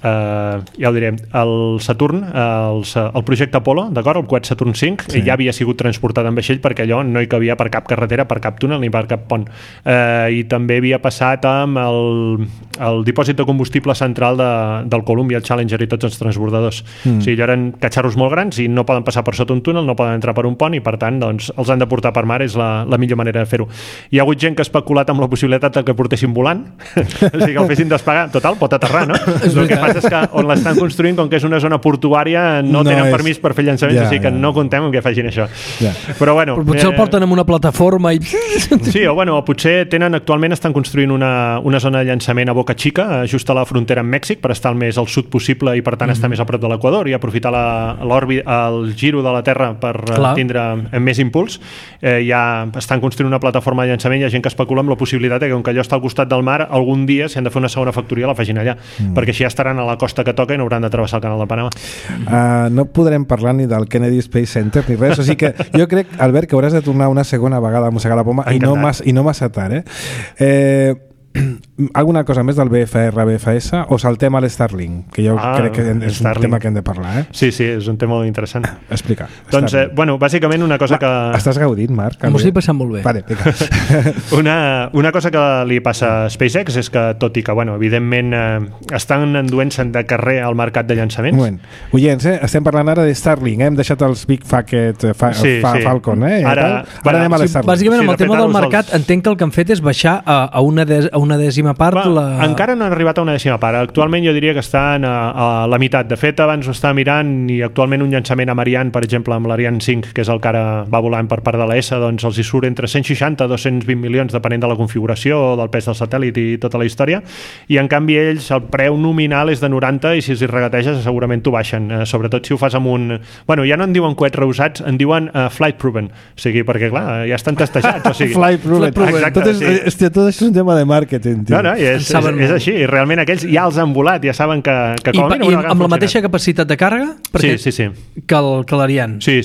Speaker 3: ja ho diré, el Saturn, el projecte Apollo, d'acord? El coet Saturn 5, ja havia sigut transportat en vaixell perquè allò no hi cabia per cap carretera, per cap túnel ni per cap pont. I també havia passat amb el dipòsit de combustible central del Columbia, el Challenger i tots els transbordadors. O sigui, allò eren catxarros molt grans i no poden passar per sota un túnel, no poden entrar per un pont i per tant doncs, els han de portar per mar, és la millor manera de fer-ho. Hi ha hagut gent que ha especulat amb la possibilitat que portessin volant, o sigui que el fessin despegar, total, pot aterrar, no? El que passa és que on l'estan construint, com que és una zona portuària, no tenen permís per fer llançaments, o sigui que no contem amb que facin això. Però bueno...
Speaker 2: Però potser el porten en una plataforma i...
Speaker 3: Sí, o bueno, potser actualment estan construint una zona de llançament a Boca Chica, just a la frontera amb Mèxic, per estar el més al sud possible i per tant estar més a prop de l'Equador i aprofitar el giro de la Terra per tindre més impuls. Ja estan construint una plataforma de llançament, hi ha gent que especula amb la possibilitat que com que allò està al costat del mar, algun dia, si han de fer una segona factoria, la facin allà, perquè així ja estaran a la costa que toca i no hauran de travessar el canal de Panamà.
Speaker 1: No podrem parlar ni del Kennedy Space Center ni res, o sigui que jo crec, Albert, que hauràs de tornar una segona vegada a mossegar la poma i no massa tard, alguna cosa més del BFR, BFS o saltem a l'Starlink, que jo crec que és un tema que hem de parlar,
Speaker 3: Sí, és un tema molt interessant.
Speaker 1: Explica.
Speaker 3: Doncs, bueno, bàsicament una cosa que...
Speaker 1: Estàs gaudint, Marc?
Speaker 2: M'ho estic passant molt bé.
Speaker 1: Vale,
Speaker 3: una cosa que li passa a SpaceX és que, tot i que, bueno, evidentment estan enduent-se'n de carrer al mercat de llançaments.
Speaker 1: Oients, estem parlant ara de Starlink, hem deixat els Big Falcon, Ara anem a l'Starlink.
Speaker 2: Bàsicament, amb el tema del mercat, entenc que el que han fet és baixar a una dècima part.
Speaker 3: Encara no han arribat a una dècima part. Actualment jo diria que estan a la meitat. De fet, abans ho estava mirant i actualment un llançament amb Ariane, per exemple, amb l'Ariane 5, que és el que ara va volant per part de l'ESA, doncs els hi surt entre 160 i 220 milions, depenent de la configuració, del pes del satèl·lit i tota la història. I en canvi ells, el preu nominal és de 90 i si els hi regateges segurament t'ho baixen. Sobretot si ho fas amb un... Bueno, ja no en diuen coets reusats, en diuen flight proven. O sigui, perquè clar, ja estan testejats. O sigui,
Speaker 1: flight proven. Tot això és un tema de màrqueting.
Speaker 3: No, és així. I realment aquells ja els han volat, ja saben que com a mínim
Speaker 2: amb la mateixa capacitat de càrrega
Speaker 3: sí.
Speaker 2: que l'Ariane.
Speaker 3: Sí.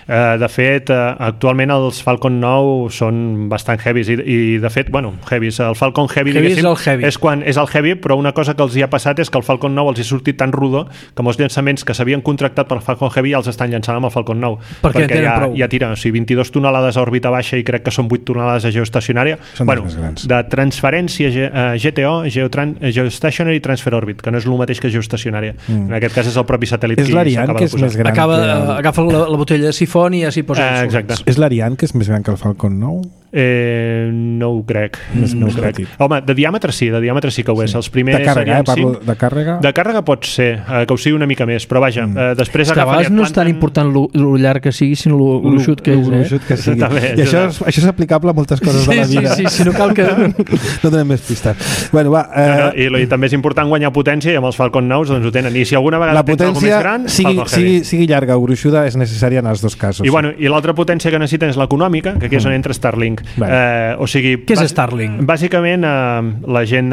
Speaker 3: De fet, actualment els Falcon 9 són bastant heavies i de fet, heavies. El Falcon Heavy, és el heavy, però una cosa que els hi ha passat és que el Falcon 9 els hi ha sortit tan rodó que molts llançaments que s'havien contractat per Falcon Heavy ja els estan llançant amb el Falcon 9. Perquè ja tira, 22 tonelades a òrbita baixa i crec que són 8 tonelades a geoestacionària. De transferència GTO, Geostationary Transfer Orbit, que no és el mateix que geoestacionària. En aquest cas és el propi satèl·lit
Speaker 1: és l'Ariane que és més gran.
Speaker 2: Agafa la botella de sifon i ja s'hi posa
Speaker 3: exacte.
Speaker 1: És l'Ariane que és més gran que el Falcon 9?
Speaker 3: No ho crec. No ho crec. Home, de diàmetre sí que ho és. Els primers
Speaker 1: de càrrega, parlo de càrrega?
Speaker 3: De càrrega pot ser, que ho sigui una mica més, però vaja, després
Speaker 2: agafa... A vegades no és tan important lo llarg que sigui, sinó lo xut que és.
Speaker 1: I això és aplicable a moltes coses de la vida.
Speaker 2: Sí, si no cal que...
Speaker 1: No tenem més pistes.
Speaker 3: I també és important guanyar potència i amb els Falcon 9 doncs ho tenen. I si alguna vegada tens alguna més gran,
Speaker 1: sigui llarga o gruixuda, és necessària en els dos casos.
Speaker 3: I l'altra potència que necessiten és l'econòmica, que aquí és on entra Starlink. O sigui,
Speaker 2: què és Starlink?
Speaker 3: Bàsicament, la gent,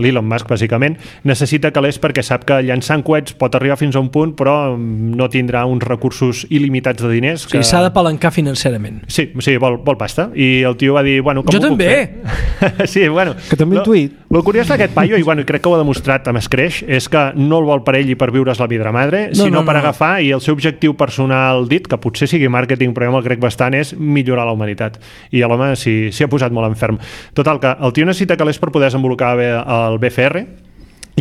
Speaker 3: l'Elon Musk, bàsicament, necessita calés perquè sap que llançant coets pot arribar fins a un punt, però no tindrà uns recursos il·limitats de diners.
Speaker 2: O sigui, s'ha de palancar financerament.
Speaker 3: Sí, vol pasta. I el tio va dir, com
Speaker 2: jo també!
Speaker 3: Sí,
Speaker 1: que també un tuit.
Speaker 3: El curiós d'aquest paio, i crec que ho ha demostrat amb Scratch, és que no el vol per ell i per viure's la vidra madre, sinó per agafar, i el seu objectiu personal dit, que potser sigui màrqueting, però jo me'l crec bastant, és millorar la humanitat. I l'home s'hi ha posat molt enferm. Total, que el tio necessita calés per poder desenvolupar bé el BFR,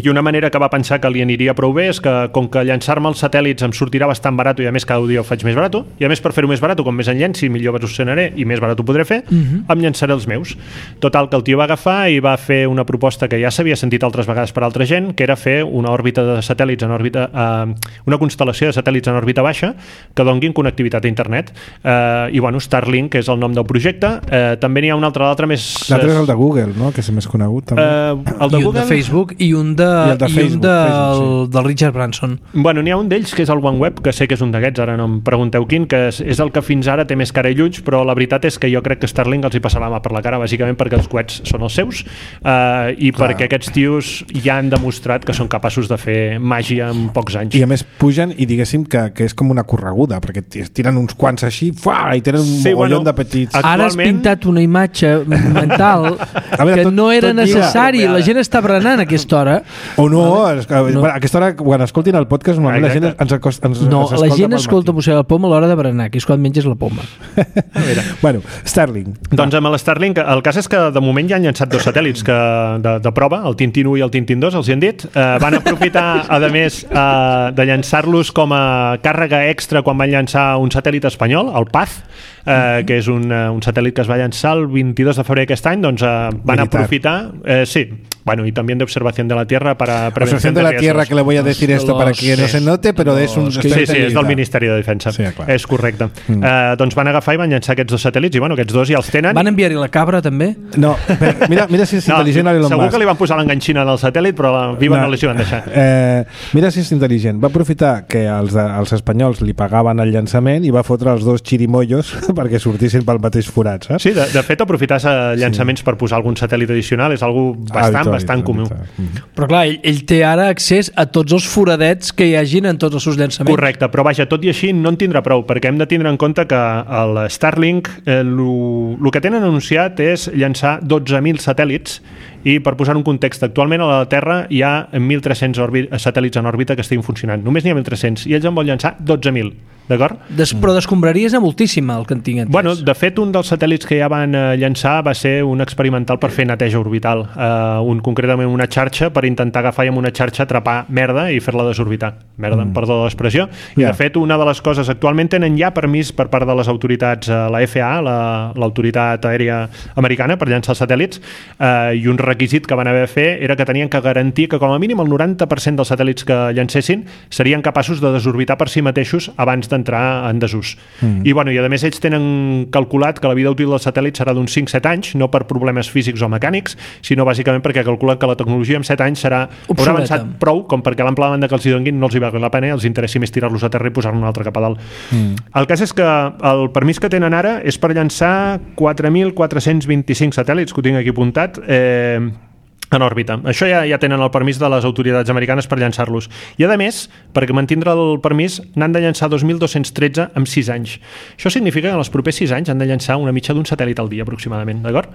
Speaker 3: i una manera que va pensar que li aniria prou bé és que, com que llançar-me els satèl·lits em sortirà bastant barat i a més cada dia ho faig més barat, i a més per fer-ho més barat, com més en llenci, millor evolucionaré i més barat ho podré fer, em llançaré els meus. Total, que el tio va agafar i va fer una proposta que ja s'havia sentit altres vegades per altra gent, que era fer una òrbita de satèl·lits en òrbita, una constel·lació de satèl·lits en òrbita baixa que donguin connectivitat a internet. I Starlink és el nom del projecte. També n'hi ha un l'altre més...
Speaker 1: L'altre és el de Google, no? Que és el més conegut també.
Speaker 2: El de Google, de Facebook i un del Richard Branson.
Speaker 3: N'hi ha un d'ells que és el OneWeb, que sé que és un d'aquests, ara no em pregunteu quin, que és el que fins ara té més cara i ulls, però la veritat és que jo crec que Starlink els hi passarà la mà per la cara, bàsicament perquè els coets són els seus i perquè aquests tios ja han demostrat que són capaços de fer màgia en pocs anys.
Speaker 1: I a més pugen i diguéssim que és com una correguda, perquè tiren uns quants així i tenen un mogollon de petits.
Speaker 2: Ara has pintat una imatge mental que no era necessari. La gent està berenant a aquesta hora.
Speaker 1: O no, a aquesta hora, quan escoltin el podcast, normalment la gent ens
Speaker 2: la gent escolta música de poma a l'hora de berenar, que és quan menges la poma.
Speaker 1: Starlink.
Speaker 3: Doncs amb l'Starlink, el cas és que de moment ja han llançat 2 satèl·lits de prova, el Tintin 1 i el Tintin 2, els hi han dit. Van aprofitar, a més, de llançar-los com a càrrega extra quan van llançar un satèl·lit espanyol, el PAZ, que és un satèl·lit que es va llançar el 22 de febrer aquest any, doncs van aprofitar... Sí, y también de observación de la Tierra para
Speaker 1: prevención de la Tierra, que le voy a decir esto para que no se note, però és un...
Speaker 3: Sí, és del Ministeri de Defensa. Sí, és correcte. Doncs van agafar i van llançar aquests 2 satèl·lits i aquests 2 ja els tenen.
Speaker 2: Van enviar-hi la cabra també?
Speaker 1: No, mira si és intel·ligent Elon Musk.
Speaker 3: Segur que li van posar l'enganxina en el satèl·lit, però la viva no li van deixar.
Speaker 1: Mira si és intel·ligent. Va aprofitar que els espanyols li pagaven el llançament i va fotre els 2 xirimollos perquè sortissin pel mateix forat, saps?
Speaker 3: Sí, de fet aprofitar llançaments per posar algun satèl·lit addicional és algo bastant comú.
Speaker 2: Però clar, ell té ara accés a tots els foradets que hi hagin en tots els seus llançaments.
Speaker 3: Correcte, però vaja, tot i així no en tindrà prou, perquè hem de tindre en compte que el Starlink el que tenen anunciat és llançar 12.000 satèl·lits i per posar un context, actualment a la Terra hi ha 1.300 satèl·lits en òrbita que estiguin funcionant. Només n'hi ha 1.300 i ells en volen llançar 12.000. D'acord?
Speaker 2: Però descombraries a moltíssima el que en tinc entès.
Speaker 3: De fet, un dels satèl·lits que ja van llançar va ser un experimental per fer neteja orbital, concretament una xarxa per intentar agafar i amb una xarxa atrapar merda i fer-la desorbitar. Merda, perdó de l'expressió. I de fet, una de les coses, actualment tenen ja permís per part de les autoritats, la FAA, l'autoritat aèria americana, per llançar els satèl·lits, i un requisit que van haver de fer era que tenien que garantir que com a mínim el 90% dels satèl·lits que llancessin serien capaços de desorbitar per si mateixos abans d'entrar en desús. I a més ells tenen calculat que la vida útil del satèl·lit serà d'uns 5-7 anys, no per problemes físics o mecànics, sinó bàsicament perquè calculen que la tecnologia en 7 anys haurà avançat prou com perquè l'ample de banda que els hi donguin no els hi valgui la pena, els interessi més tirar-los a terra i posar-ne un altre cap a dalt. El cas és que el permís que tenen ara és per llançar 4.425 satèl·lits, que ho tinc aquí apuntat, en òrbita. Això ja tenen el permís de les autoritats americanes per llançar-los. I, a més, perquè mantindre el permís, n'han de llançar 2.213 en 6 anys. Això significa que en els propers 6 anys han de llançar una mitja d'un satèl·lit al dia, aproximadament, d'acord?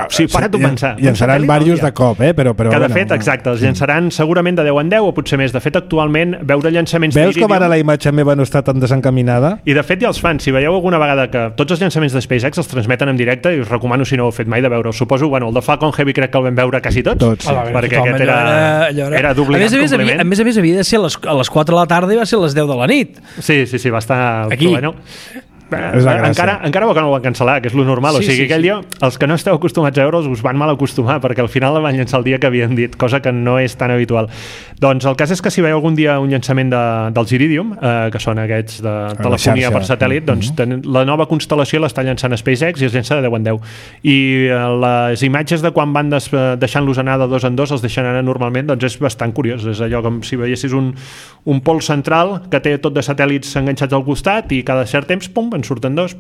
Speaker 3: Sí, para-t'ho pensar.
Speaker 1: Llançaran diversos de cop, però
Speaker 3: que, de fet, exacte, els llançaran segurament de 10 en 10 o potser més. De fet, actualment, veure llançaments
Speaker 1: Veus com ara la imatge meva no està tan desencaminada?
Speaker 3: I, de fet, ja els fan. Si veieu alguna vegada que tots els llançaments de SpaceX els transmeten en directe, i us recomano, si no ho heu fet mai, de veure-ho. Suposo, el de Falcon Heavy crec que el vam veure quasi tots,
Speaker 1: sí.
Speaker 3: Perquè aquest era d'obligat compliment.
Speaker 2: A més, havia de ser a les 4 de la tarda i va ser a les 10 de la nit.
Speaker 3: Sí, va estar...
Speaker 2: Aquí.
Speaker 3: Bueno, encara que no ho van cancel·lar, que és lo normal, aquell dia els que no esteu acostumats a veure'ls us van mal acostumar, perquè al final el van llançar el dia que havien dit, cosa que no és tan habitual. Doncs el cas és que si veieu algun dia un llançament dels Iridium, que són aquests de telefonia per satèl·lit, doncs la nova constel·lació l'està llançant SpaceX i es llança de 10 en 10. I les imatges de quan van deixant-los anar de 2 en 2 els deixen anar normalment, doncs és bastant curiós. És allò com si veiessis un pol central que té tot de satèl·lits enganxats al costat i cada cert temps, pum, en surten dos,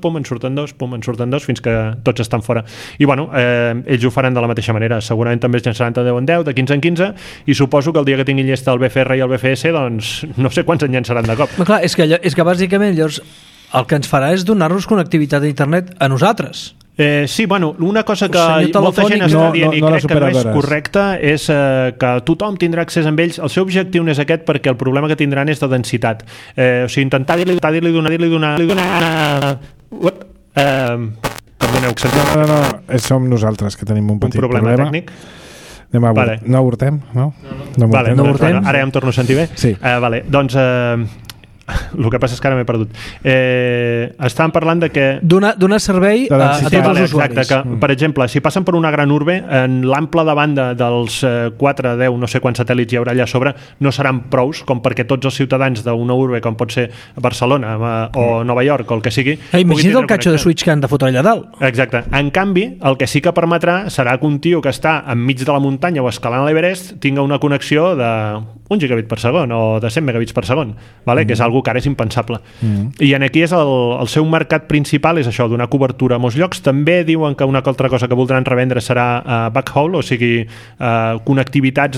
Speaker 3: fins que tots estan fora. I bueno, ells ho faran de la mateixa manera. Segurament també es llançaran de 10 en 10, de 15 en 15, i suposo que el dia que tinguin llesta el BFR i el BFS, doncs no sé quants en llançaran de cop.
Speaker 2: Però clar, és que bàsicament llavors el que ens farà és donar-nos connectivitat a internet a nosaltres.
Speaker 3: Sí, bueno, una cosa que molta gent està dient i crec que no és correcta és que tothom tindrà accés amb ells. El seu objectiu no és aquest, perquè el problema que tindran és de densitat. O sigui, intentar dir-li donar... Perdoneu, que sentim...
Speaker 1: No, som nosaltres que tenim un petit problema
Speaker 3: tècnic.
Speaker 1: No avortem, no?
Speaker 3: No avortem. Ara ja em torno a sentir bé?
Speaker 1: Sí.
Speaker 3: Vale, doncs... el que passa és que ara m'he perdut. Estàvem parlant de que...
Speaker 2: Donar servei a tots els usuaris.
Speaker 3: Exacte, que, per exemple, si passen per una gran urbe, en l'ample de banda dels 4, 10, no sé quants satèl·lits hi haurà allà a sobre, no seran prous com perquè tots els ciutadans d'una urbe, com pot ser Barcelona o Nova York o el que sigui...
Speaker 2: Imagina't el catxo de switch que han de fotre allà dalt.
Speaker 3: Exacte. En canvi, el que sí que permetrà serà que un tio que està enmig de la muntanya o escalant l'Everest tinga una connexió de 1 gigabit per segon o de 100 megabits per segon, vale? Que és algo que ara és impensable. I aquí és el seu mercat principal, és això, donar cobertura a molts llocs. També diuen que una altra cosa que voldran revendre serà backhaul, o sigui, connectivitat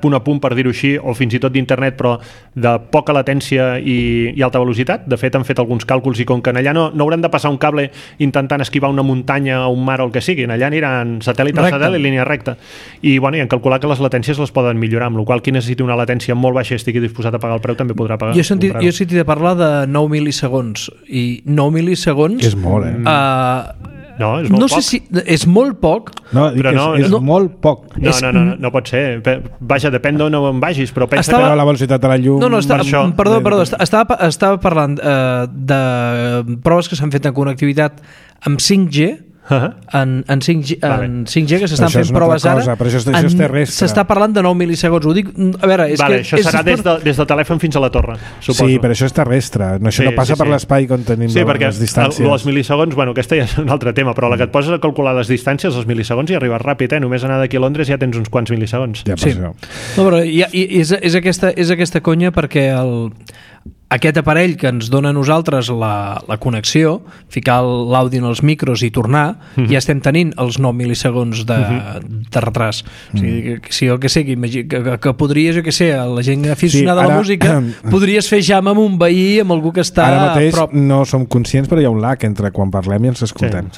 Speaker 3: punt a punt, per dir-ho així, o fins i tot d'internet, però de poca latència i alta velocitat. De fet, han fet alguns càlculs i com que allà no hauran de passar un cable intentant esquivar una muntanya o un mar o el que sigui, allà aniran satèl·lit a satèl·lit, línia recta. I han calculat que les latències les poden millorar, amb la qual cosa qui necessiti una latència molt baixa i estigui disposat a pagar el preu també podrà pagar.
Speaker 2: Jo he sentit de parlar de 9 mil·lisegons, i 9 mil·lisegons...
Speaker 1: És molt,
Speaker 3: No, és molt poc.
Speaker 2: Sé si és molt poc.
Speaker 1: No, és molt poc.
Speaker 3: No pot ser. Vaja, depèn d'on en vagis, però pensa
Speaker 1: que la velocitat de la llum...
Speaker 2: Perdó, estava parlant de proves que s'han fet en connectivitat amb 5G, en 5G que s'estan fent proves ara,
Speaker 1: però això és terrestre.
Speaker 2: S'està parlant de 9 mil·lisegons. Ho dic, a veure,
Speaker 3: això serà des del telèfon fins a la torre, suposo.
Speaker 1: Sí, però això és terrestre, això no passa per l'espai on tenim les distàncies.
Speaker 3: Els mil·lisegons, aquesta ja és un altre tema, però la que et poses a calcular les distàncies, els mil·lisegons hi arribes ràpid, només anar d'aquí a Londres ja tens uns quants mil·lisegons.
Speaker 1: Sí.
Speaker 2: No, però és aquesta conya, perquè aquest aparell que ens dona a nosaltres la connexió, ficar l'àudio en els micros i tornar, ja estem tenint els 9 mil·lisegons de retras. O sigui, si jo que sé, que podries, jo que sé, la gent aficionada a la música, podries fer jam amb un veí, amb algú que està
Speaker 1: ara mateix
Speaker 2: a prop.
Speaker 1: No som conscients, però hi ha un lag entre quan parlem i ens escoltem.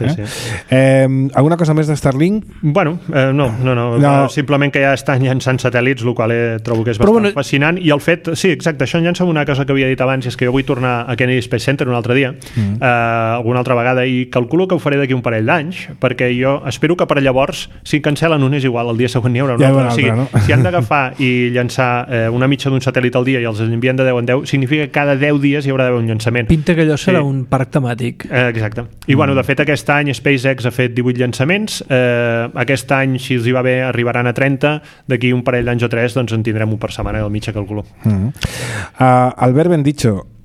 Speaker 1: Alguna cosa més de Starlink?
Speaker 3: Bueno, no. Simplement que ja estan llançant satèl·lits, el qual trobo que és bastant fascinant, i el fet, sí, exacte, això llança una cosa que havia dit abans, és que jo vull tornar a Kennedy Space Center un altre dia, alguna altra vegada, i calculo que ho faré d'aquí un parell d'anys, perquè jo espero que per llavors, si cancel·len un és igual, el dia següent n'hi haurà un altre. O sigui, si han d'agafar i llançar una mitja d'un satèl·lit al dia i els envien de 10 en 10, significa que cada 10 dies hi haurà d'haver un llançament.
Speaker 2: Pinta que allò serà un parc temàtic.
Speaker 3: Exacte. I de fet aquest any SpaceX ha fet 18 llançaments, aquest any, si els hi va bé, arribaran a 30, d'aquí un parell d'anys o 3 doncs en tindrem un per setmana, al mitjà calculo.
Speaker 1: Albert Bendicho,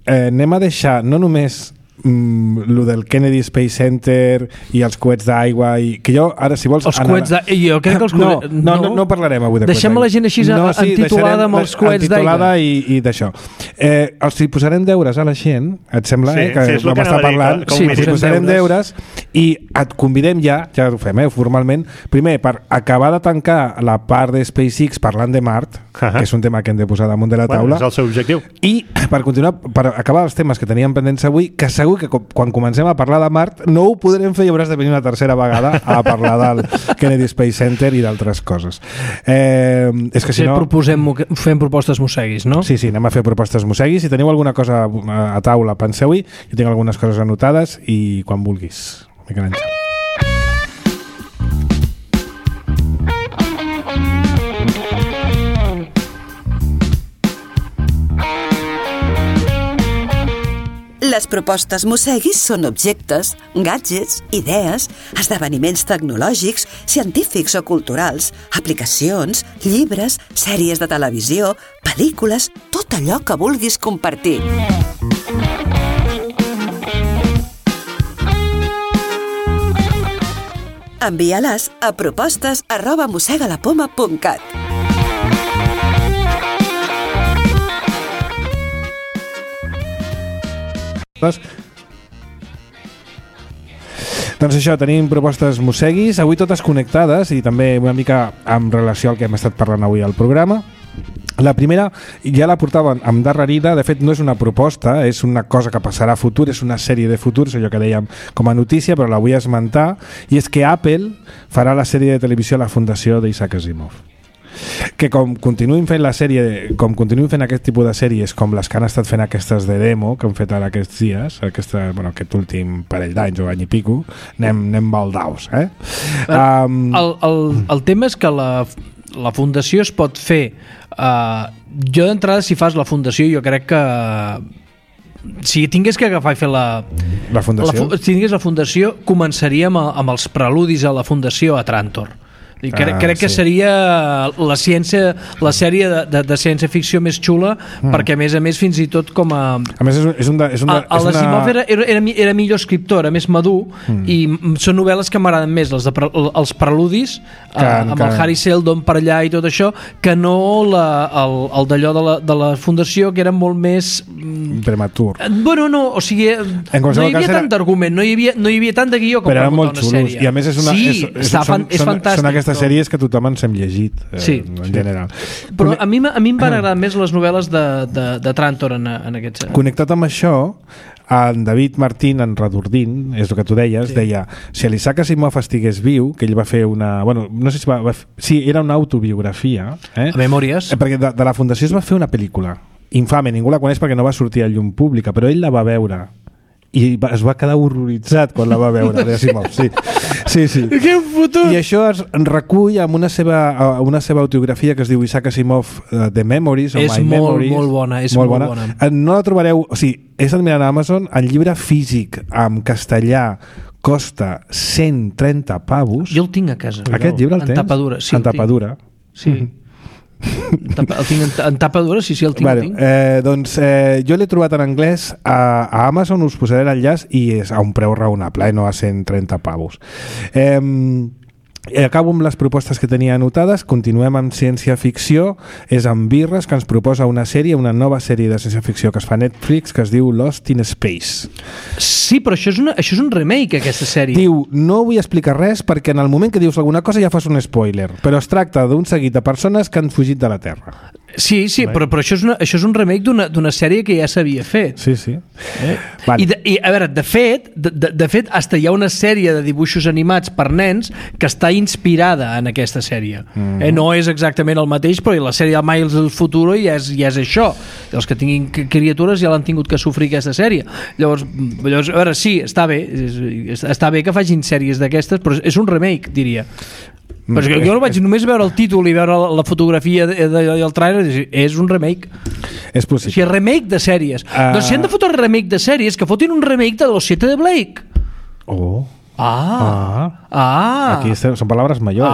Speaker 1: anem a deixar no només lo del Kennedy Space Center i els coets d'aigua que jo, ara, si vols...
Speaker 2: Els coets d'aigua... Jo crec que els coets...
Speaker 1: No parlarem avui de coets d'aigua.
Speaker 2: Deixem la gent així entitulada amb els coets d'aigua.
Speaker 1: I d'això. Els hi posarem deures a la gent, et sembla, que vam estar parlant.
Speaker 2: Sí,
Speaker 1: els hi posarem deures i et convidem ja ho fem, formalment, primer, per acabar de tancar la part de SpaceX parlant de Mart, que és un tema que hem de posar damunt de la taula.
Speaker 3: És el seu objectiu.
Speaker 1: I per continuar, per acabar els temes que teníem pendents avui, que segur que quan comencem a parlar de Mart no ho podrem fer i hauràs de venir una tercera vegada a parlar del Kennedy Space Center i d'altres coses. És que si no...
Speaker 2: Fem propostes mosseguis, no?
Speaker 1: Sí, anem a fer propostes mosseguis. Si teniu alguna cosa a taula, penseu-hi. Jo tinc algunes coses anotades i quan vulguis. Miquel Àngel.
Speaker 6: Les propostes mosseguis són objectes, gadgets, idees, esdeveniments tecnològics, científics o culturals, aplicacions, llibres, sèries de televisió, pel·lícules, tot allò que vulguis compartir. Envia-les a propostes@mossegalapoma.cat.
Speaker 1: Doncs això, tenim propostes mosseguis, avui totes connectades i també una mica en relació al que hem estat parlant avui al programa. La primera ja la portaven amb darrerida, de fet no és una proposta, és una cosa que passarà a futur, és una sèrie de futurs, allò que dèiem com a notícia, però la vull esmentar, i és que Apple farà la sèrie de televisió a la fundació d'Isaac Asimov. Que com continuïn fent aquest tipus de sèries com les que han estat fent aquestes de demo que han fet ara aquests dies, aquest últim parell d'anys o any i pico, anem baldaus,
Speaker 2: El tema és que la fundació es pot fer jo d'entrada, si fas la fundació, jo crec que si tingués que agafar i fer la
Speaker 1: fundació,
Speaker 2: si tingués la fundació, començaríem amb els preludis a la fundació a Trantor. Crec que seria la sèrie de ciència-ficció més xula, perquè a més fins i tot com a...
Speaker 1: A més
Speaker 2: l'Asimov era millor escriptor, era més madur, i són novel·les que m'agraden més, els preludis, amb el Harry Seldon per allà i tot això, que no el d'allò de la fundació, que era molt més...
Speaker 1: prematur.
Speaker 2: Bueno, no, o sigui, no hi havia tant d'argument, no hi havia tant de guió com per muntar una sèrie.
Speaker 1: I a més és
Speaker 2: fantàstic.
Speaker 1: Aquestes sèries que tothom ens hem llegit en general.
Speaker 2: Però a mi em van agradar més les novel·les de Trantor en aquest sentit.
Speaker 1: Connectat amb això, en David Martín, en Redordín, és el que tu deies, deia, si l'Isaac Asimov estigués viu, que ell va fer una... Bueno, no sé si sí, era una autobiografia.
Speaker 2: A memòries.
Speaker 1: Perquè de la fundació es va fer una pel·lícula infame, ningú la coneix perquè no va sortir a llum pública, però ell la va veure i es va quedar horroritzat quan la va veure d'Asimov. Sí.
Speaker 2: Que fotut!
Speaker 1: I això es recull amb una seva autobiografia que es diu Isaac Asimov The Memories o My Memories.
Speaker 2: És molt bona.
Speaker 1: No la trobareu, o sigui, he estat mirant a Amazon, el llibre físic en castellà costa 130 pavos.
Speaker 2: Jo el tinc a casa.
Speaker 1: Aquest llibre el tens?
Speaker 2: En tapadura. Sí,
Speaker 1: en tapadura.
Speaker 2: Sí. El tinc en tapadura, sí, el tinc.
Speaker 1: Doncs jo l'he trobat en anglès a Amazon, us posaré l'enllaç i és a un preu raonable, no a 130 pavos. Acabo amb les propostes que tenia anotades. Continuem amb ciència-ficció. És en Birres, que ens proposa una nova sèrie de ciència-ficció que es fa a Netflix, que es diu Lost in Space.
Speaker 2: Sí, però això és un remake, aquesta sèrie.
Speaker 1: Diu, no vull explicar res perquè en el moment que dius alguna cosa ja fas un spoiler, però es tracta d'un seguit de persones que han fugit de la Terra.
Speaker 2: Sí, però això és un remake d'una sèrie que ja s'havia fet.
Speaker 1: Sí.
Speaker 2: I a veure, de fet, hasta hi ha una sèrie de dibuixos animats per nens que està inspirada en aquesta sèrie. No és exactament el mateix, però la sèrie de Miles del Futuro ja és això. Els que tinguin criatures ja l'han tingut que sofrir aquesta sèrie. Llavors, a veure, sí, està bé que facin sèries d'aquestes, però és un remake, diria. Però jo no vaig només veure el títol i veure la fotografia i el trailer, és un remake.
Speaker 1: És possible.
Speaker 2: O sigui, remake de sèries. Doncs si han de fotre remake de sèries, que fotin un remake de Los 7 de Blake.
Speaker 1: Aquí són paraules mayores.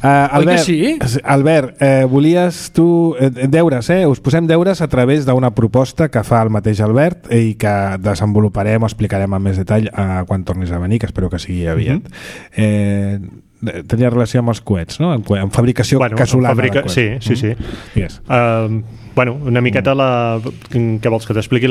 Speaker 2: Albert, sí?
Speaker 1: Albert, volies tu deures, us posem deures a través d'una proposta que fa el mateix Albert i que desenvoluparem o explicarem amb més detall quan tornis a venir, que espero que sigui aviat. Tenia relació amb els coets, no? Amb fabricació casolana de coets.
Speaker 3: Sí. Yes. Una miqueta què vols, que t'expliqui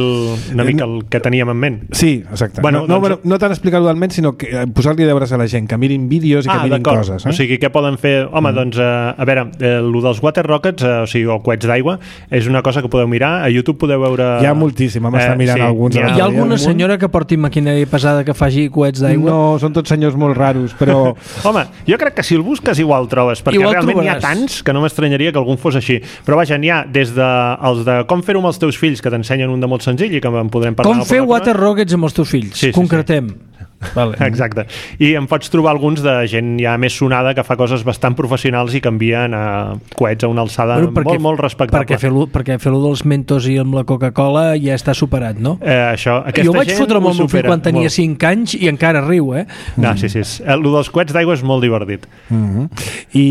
Speaker 3: una mica el que teníem en ment?
Speaker 1: Sí, exacte. No tant explicar-ho del ment, sinó que posar-li deures a la gent, que mirin vídeos i que mirin coses.
Speaker 3: O sigui, què poden fer? Home, doncs, a veure, el dels water rockets, o sigui, o coets d'aigua, és una cosa que podeu mirar. A YouTube podeu veure...
Speaker 1: Hi ha moltíssim, m'està mirant alguns.
Speaker 2: Hi ha alguna senyora que porti maquinària pesada que faci coets d'aigua?
Speaker 1: No, són tots senyors molt raros, però...
Speaker 3: Home, jo crec que si el busques igual trobes, perquè realment hi ha tants que no m'estranyaria que algun fos així. Però vaja, n'hi ha des de els de com fer-ho amb els teus fills, que t'ensenyen un de molt senzill i que en podrem parlar.
Speaker 2: Com fer water rockets amb els teus fills, concretem.
Speaker 3: Vale. Exacte. I em pots trobar alguns de gent ja més sonada que fa coses bastant professionals i que envien coets a una alçada molt respectable.
Speaker 2: Perquè fer-lo dels Mentos i amb la Coca-Cola ja està superat, no?
Speaker 3: Jo
Speaker 2: vaig fotre amb el meu fill quan tenia 5 anys i encara riu,
Speaker 3: No, sí. El dels coets d'aigua és molt divertit.
Speaker 1: I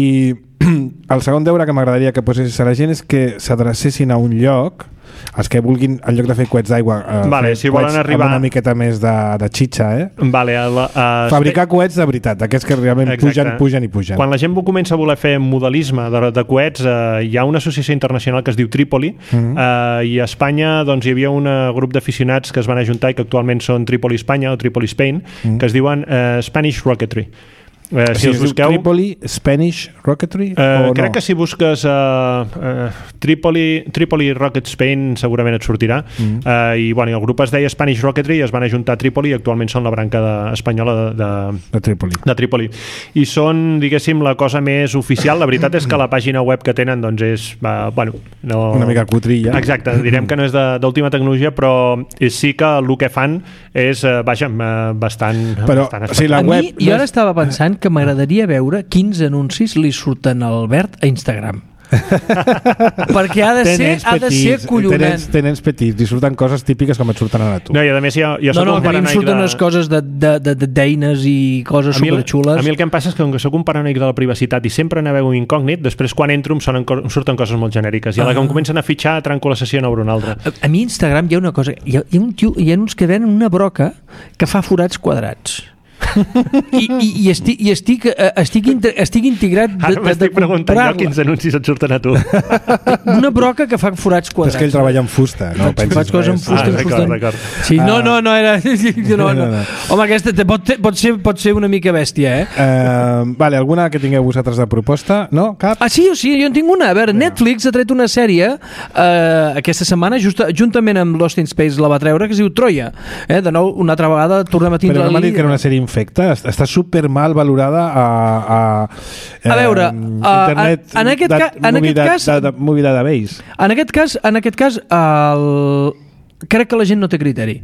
Speaker 1: el segon deure que m'agradaria que posessis a la gent és que s'adrecessin a un lloc, els que vulguin, en lloc de fer coets d'aigua,
Speaker 3: si volen arribar
Speaker 1: amb una miqueta més de xitxa, fabricar coets de veritat, aquests que realment pugen.
Speaker 3: Quan la gent comença a voler fer modelisme de coets, hi ha una associació internacional que es diu Trípoli, i a Espanya doncs, hi havia un grup d'aficionats que es van ajuntar i que actualment són Trípoli Espanya o Trípoli Spain, que es diuen Spanish Rocketry. Si els busqueu...
Speaker 1: Tripoli, Spanish Rocketry?
Speaker 3: Crec que si busques Tripoli Rocket Spain segurament et sortirà. I el grup es deia Spanish Rocketry i es van ajuntar a Trípoli i actualment són la branca espanyola de Trípoli. I són, diguéssim, la cosa més oficial. La veritat és que la pàgina web que tenen doncs és...
Speaker 1: una mica cutrilla.
Speaker 3: Exacte, direm que no és d'última tecnologia, però sí que el que fan és bastant...
Speaker 1: Però,
Speaker 2: jo ara estava pensant que m'agradaria veure quins anuncis li surten a Albert a Instagram. Perquè ha de ser collonant.
Speaker 1: Tens petits, li surten coses típiques com et surten a tu.
Speaker 3: No, i a més jo soc un
Speaker 2: paranoic. No, surten unes coses d'eines i coses superxules.
Speaker 3: A mi el que em passa és que com que soc un paranoic de la privacitat i sempre navego incògnit, després quan entro em surten coses molt genèriques i a la que em comencen a fitxar trenco la sessió a una altra.
Speaker 2: A mi a Instagram hi ha una cosa, hi ha uns que venen una broca que fa forats quadrats. I estic integrat
Speaker 3: ara m'estic preguntant jo quins anuncis et surten a tu.
Speaker 2: Una broca que fa forats quadrats.
Speaker 1: És que ell treballa amb fusta, no?
Speaker 2: Faig coses amb fusta.
Speaker 3: D'acord.
Speaker 2: Sí, no era... Home, aquesta pot ser una mica bèstia,
Speaker 1: Vale, alguna que tingueu vosaltres de proposta? No? Cap?
Speaker 2: Sí, jo en tinc una. A veure, Netflix ha tret una sèrie aquesta setmana, juntament amb Lost in Space la va treure, que es diu Troia. De nou, una altra vegada tornem a tindre...
Speaker 1: Però no m'ha dit que era una sèrie infecta, està super mal valorada
Speaker 2: a veure,
Speaker 1: internet
Speaker 2: en aquest cas
Speaker 1: Movie Database.
Speaker 2: En aquest cas crec que la gent no té criteri.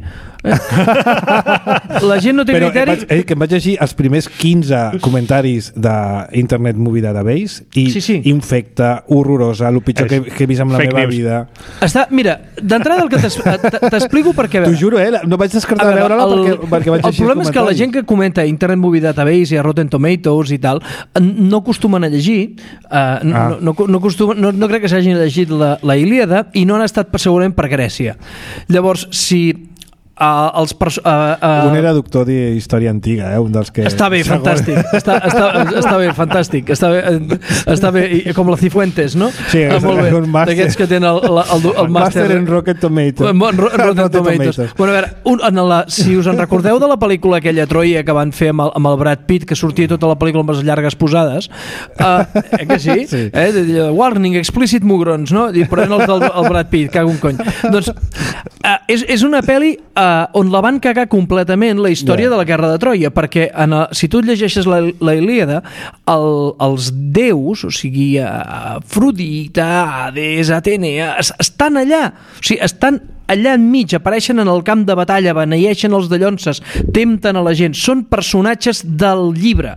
Speaker 2: La gent no té criteri.
Speaker 1: Que em vaig llegir els primers 15 comentaris d'Internet Movie Database i infecta, horrorosa, el pitjor que he vist en la meva vida.
Speaker 2: Mira, d'entrada el que t'explico per què...
Speaker 1: T'ho juro, no vaig descartar de veure-la perquè vaig llegir
Speaker 2: el problema és que la gent que comenta Internet Movie Database i a Rotten Tomatoes i tal no acostumen a llegir, no crec que s'hagin llegit la Ilíada i no han estat segurament per Grècia. Llavors, si
Speaker 1: un era doctor d'història antiga, un dels que...
Speaker 2: Està bé, fantàstic. Està bé, fantàstic. Està bé, com la Cifuentes, no?
Speaker 1: Sí,
Speaker 2: molt bé. D'aquests que tenen el màster
Speaker 1: en Rotten Tomatoes.
Speaker 2: Rotten Tomatoes. Bueno, a veure, si us en recordeu de la pel·lícula aquella Troia que van fer amb el Brad Pitt, que sortia tota la pel·lícula amb les llargues posades, que sí? Warning, explicit mugrons, no? Però eren els del Brad Pitt, cago un cony. Doncs és una pel·li on la van cagar completament la història de la guerra de Troia, perquè si tu llegeixes la Ilíada, els déus, o sigui Afrodita, Hades, Atenea, estan allà, o sigui, estan allà enmig, apareixen en el camp de batalla, beneeixen els dallonses, tempten a la gent, són personatges del llibre.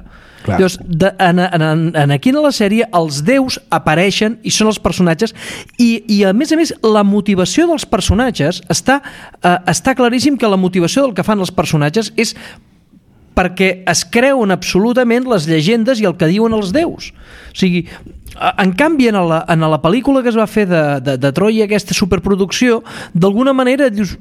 Speaker 2: Llavors, aquí a la sèrie els déus apareixen i són els personatges i a més la motivació dels personatges està claríssim que la motivació del que fan els personatges és perquè es creuen absolutament les llegendes i el que diuen els déus. O sigui, en canvi, en la pel·lícula que es va fer de Troia, aquesta superproducció, d'alguna manera dius,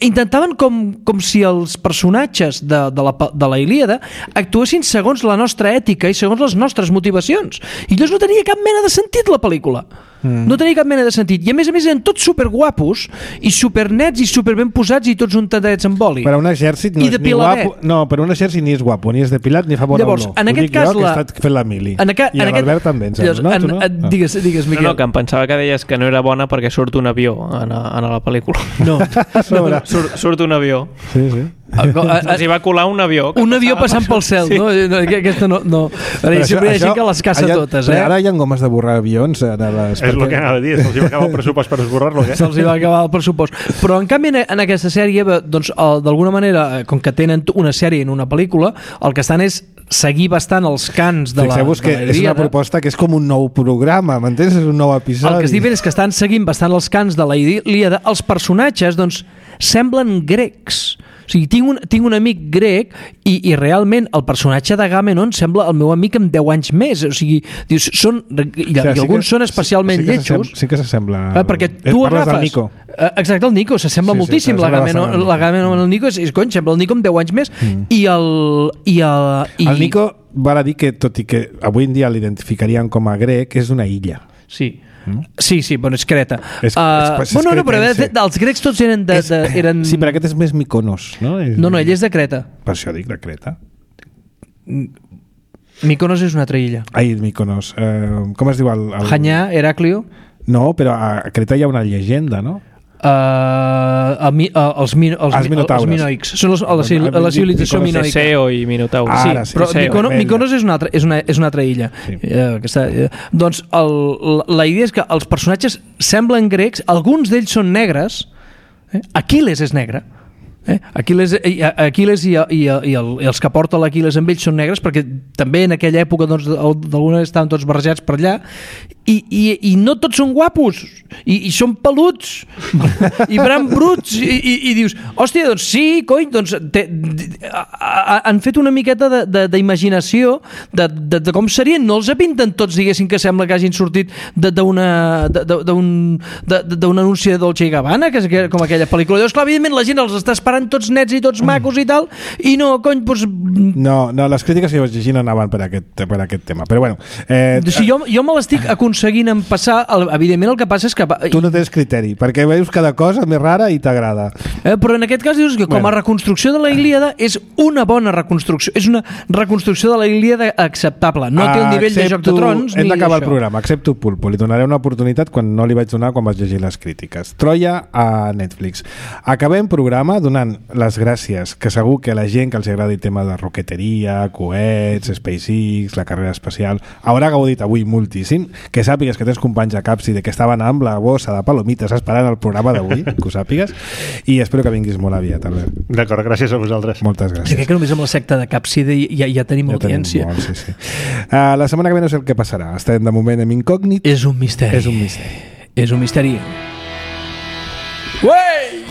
Speaker 2: intentaven com si els personatges de la Ilíada actuessin segons la nostra ètica i segons les nostres motivacions, i llavors no tenia cap mena de sentit la pel·lícula. No tenia cap mena de sentit, i a més eren tots superguapos i supernets i superben posats i tots untadets amb oli.
Speaker 1: Per a un exèrcit no és ni guapo. No, per a un exèrcit ni és guapo, ni és depilat ni fa bona olor.
Speaker 2: Llavors, en aquest cas
Speaker 1: que he estat fent la mili. I l'Albert també, em sembla, no?
Speaker 2: Digues, Miquel.
Speaker 5: No, que em pensava que deies que no era bona perquè surt un avió en la pel·lícula.
Speaker 2: No.
Speaker 5: Surt un avió.
Speaker 1: Sí.
Speaker 5: Els hi va colar un avió.
Speaker 2: Un avió passant pel cel, no? Aquesta no. Sempre hi ha gent que les caça totes, eh?
Speaker 1: Ara hi ha gomes de borrar avions a les...
Speaker 3: És el que anava a dir, se'ls va acabar el pressupost per esborrar-lo, eh?
Speaker 2: Se'ls va acabar el pressupost. Però en canvi en aquesta sèrie, doncs, d'alguna manera, com que tenen una sèrie en una pel·lícula, el que estan és seguir bastant els cants de la
Speaker 1: Fixeu-vos que és una proposta que és com un nou programa, m'entens? És un nou episodi.
Speaker 2: El que estic fent és que estan seguint bastant els cants de la Ilíada. Els personatges, doncs, semblen grecs. O sigui, tinc un amic grec i realment el personatge d'Agamenon sembla el meu amic amb 10 anys més. O sigui, dius, alguns són especialment lletjos.
Speaker 1: Sí que s'assembla.
Speaker 2: Perquè tu
Speaker 1: agafes... del Nico.
Speaker 2: Exacte, el Nico, s'assembla moltíssim. L'Agamenon el Nico és sembla el Nico amb 10 anys més.
Speaker 1: El Nico val a dir que, tot i que avui en dia l'identificarien com a grec, és una illa.
Speaker 2: Sí. Sí, bueno, és Creta.
Speaker 1: No,
Speaker 2: però els grecs tots eren...
Speaker 1: Sí, però aquest és més Mykonos, no?
Speaker 2: No, ell és de Creta.
Speaker 1: Per això dic de Creta.
Speaker 2: Mykonos és una altra illa.
Speaker 1: Ai, Mykonos. Com es diu el...
Speaker 2: Hanyà, Heràclio?
Speaker 1: No, però a Creta hi ha una llegenda, no?
Speaker 2: Els minoics són la civilització minoica.
Speaker 5: Teseo i Minotaure.
Speaker 2: Sí, però Mykonos és una altra illa. Doncs la idea és que els personatges semblen grecs, alguns d'ells són negres. Aquil·les és negre. Aquil·les i els que porta l'Aquil·les amb ells són negres, perquè també en aquella època d'alguna vegada estaven tots barrejats per allà, i no tots són guapos, i són peluts i bran bruts, i dius, hòstia, doncs sí, cony, doncs han fet una miqueta d'imaginació de com serien. No els pinten tots, diguéssim, que sembla que hagin sortit d'un anunci de Dolce & Gabbana, que és com aquella pel·lícula. Llavors, clar, evidentment la gent els està esperant tots nets i tots macos i tal, i no, cony, doncs...
Speaker 1: No, les crítiques que vaig llegir no anaven per aquest tema, però bueno...
Speaker 2: Jo me l'estic aconseguint empassar, evidentment el que passa és que...
Speaker 1: Tu no tens criteri, perquè veus cada cosa més rara i t'agrada.
Speaker 2: Però en aquest cas dius que com a reconstrucció de la Ilíada és una bona reconstrucció, és una reconstrucció de la Ilíada acceptable, no té el nivell de Joc de Trons
Speaker 1: hem d'acabar el programa, accepto Pulpo, li donaré una oportunitat quan no li vaig donar quan vaig llegir les crítiques. Troia a Netflix. Acabem programa donant les gràcies, que segur que la gent que els agrada el tema de roqueteria, coets, SpaceX, la carrera espacial, haurà gaudit avui moltíssim, que sàpigues que tens companys a Capsi de que estaven amb la bossa de palomites esperant el programa d'avui, que ho sàpigues, i espero que vinguis molt aviat, Albert.
Speaker 3: D'acord, gràcies a vosaltres.
Speaker 1: Moltes gràcies.
Speaker 2: Sí, crec que només amb la secta de Capsi ja tenim audiència.
Speaker 1: Tenim molt, sí. La setmana que ve no sé el que passarà. Estem de moment en incògnit.
Speaker 2: És un misteri.
Speaker 1: És un misteri.
Speaker 2: És un misteri. Uei!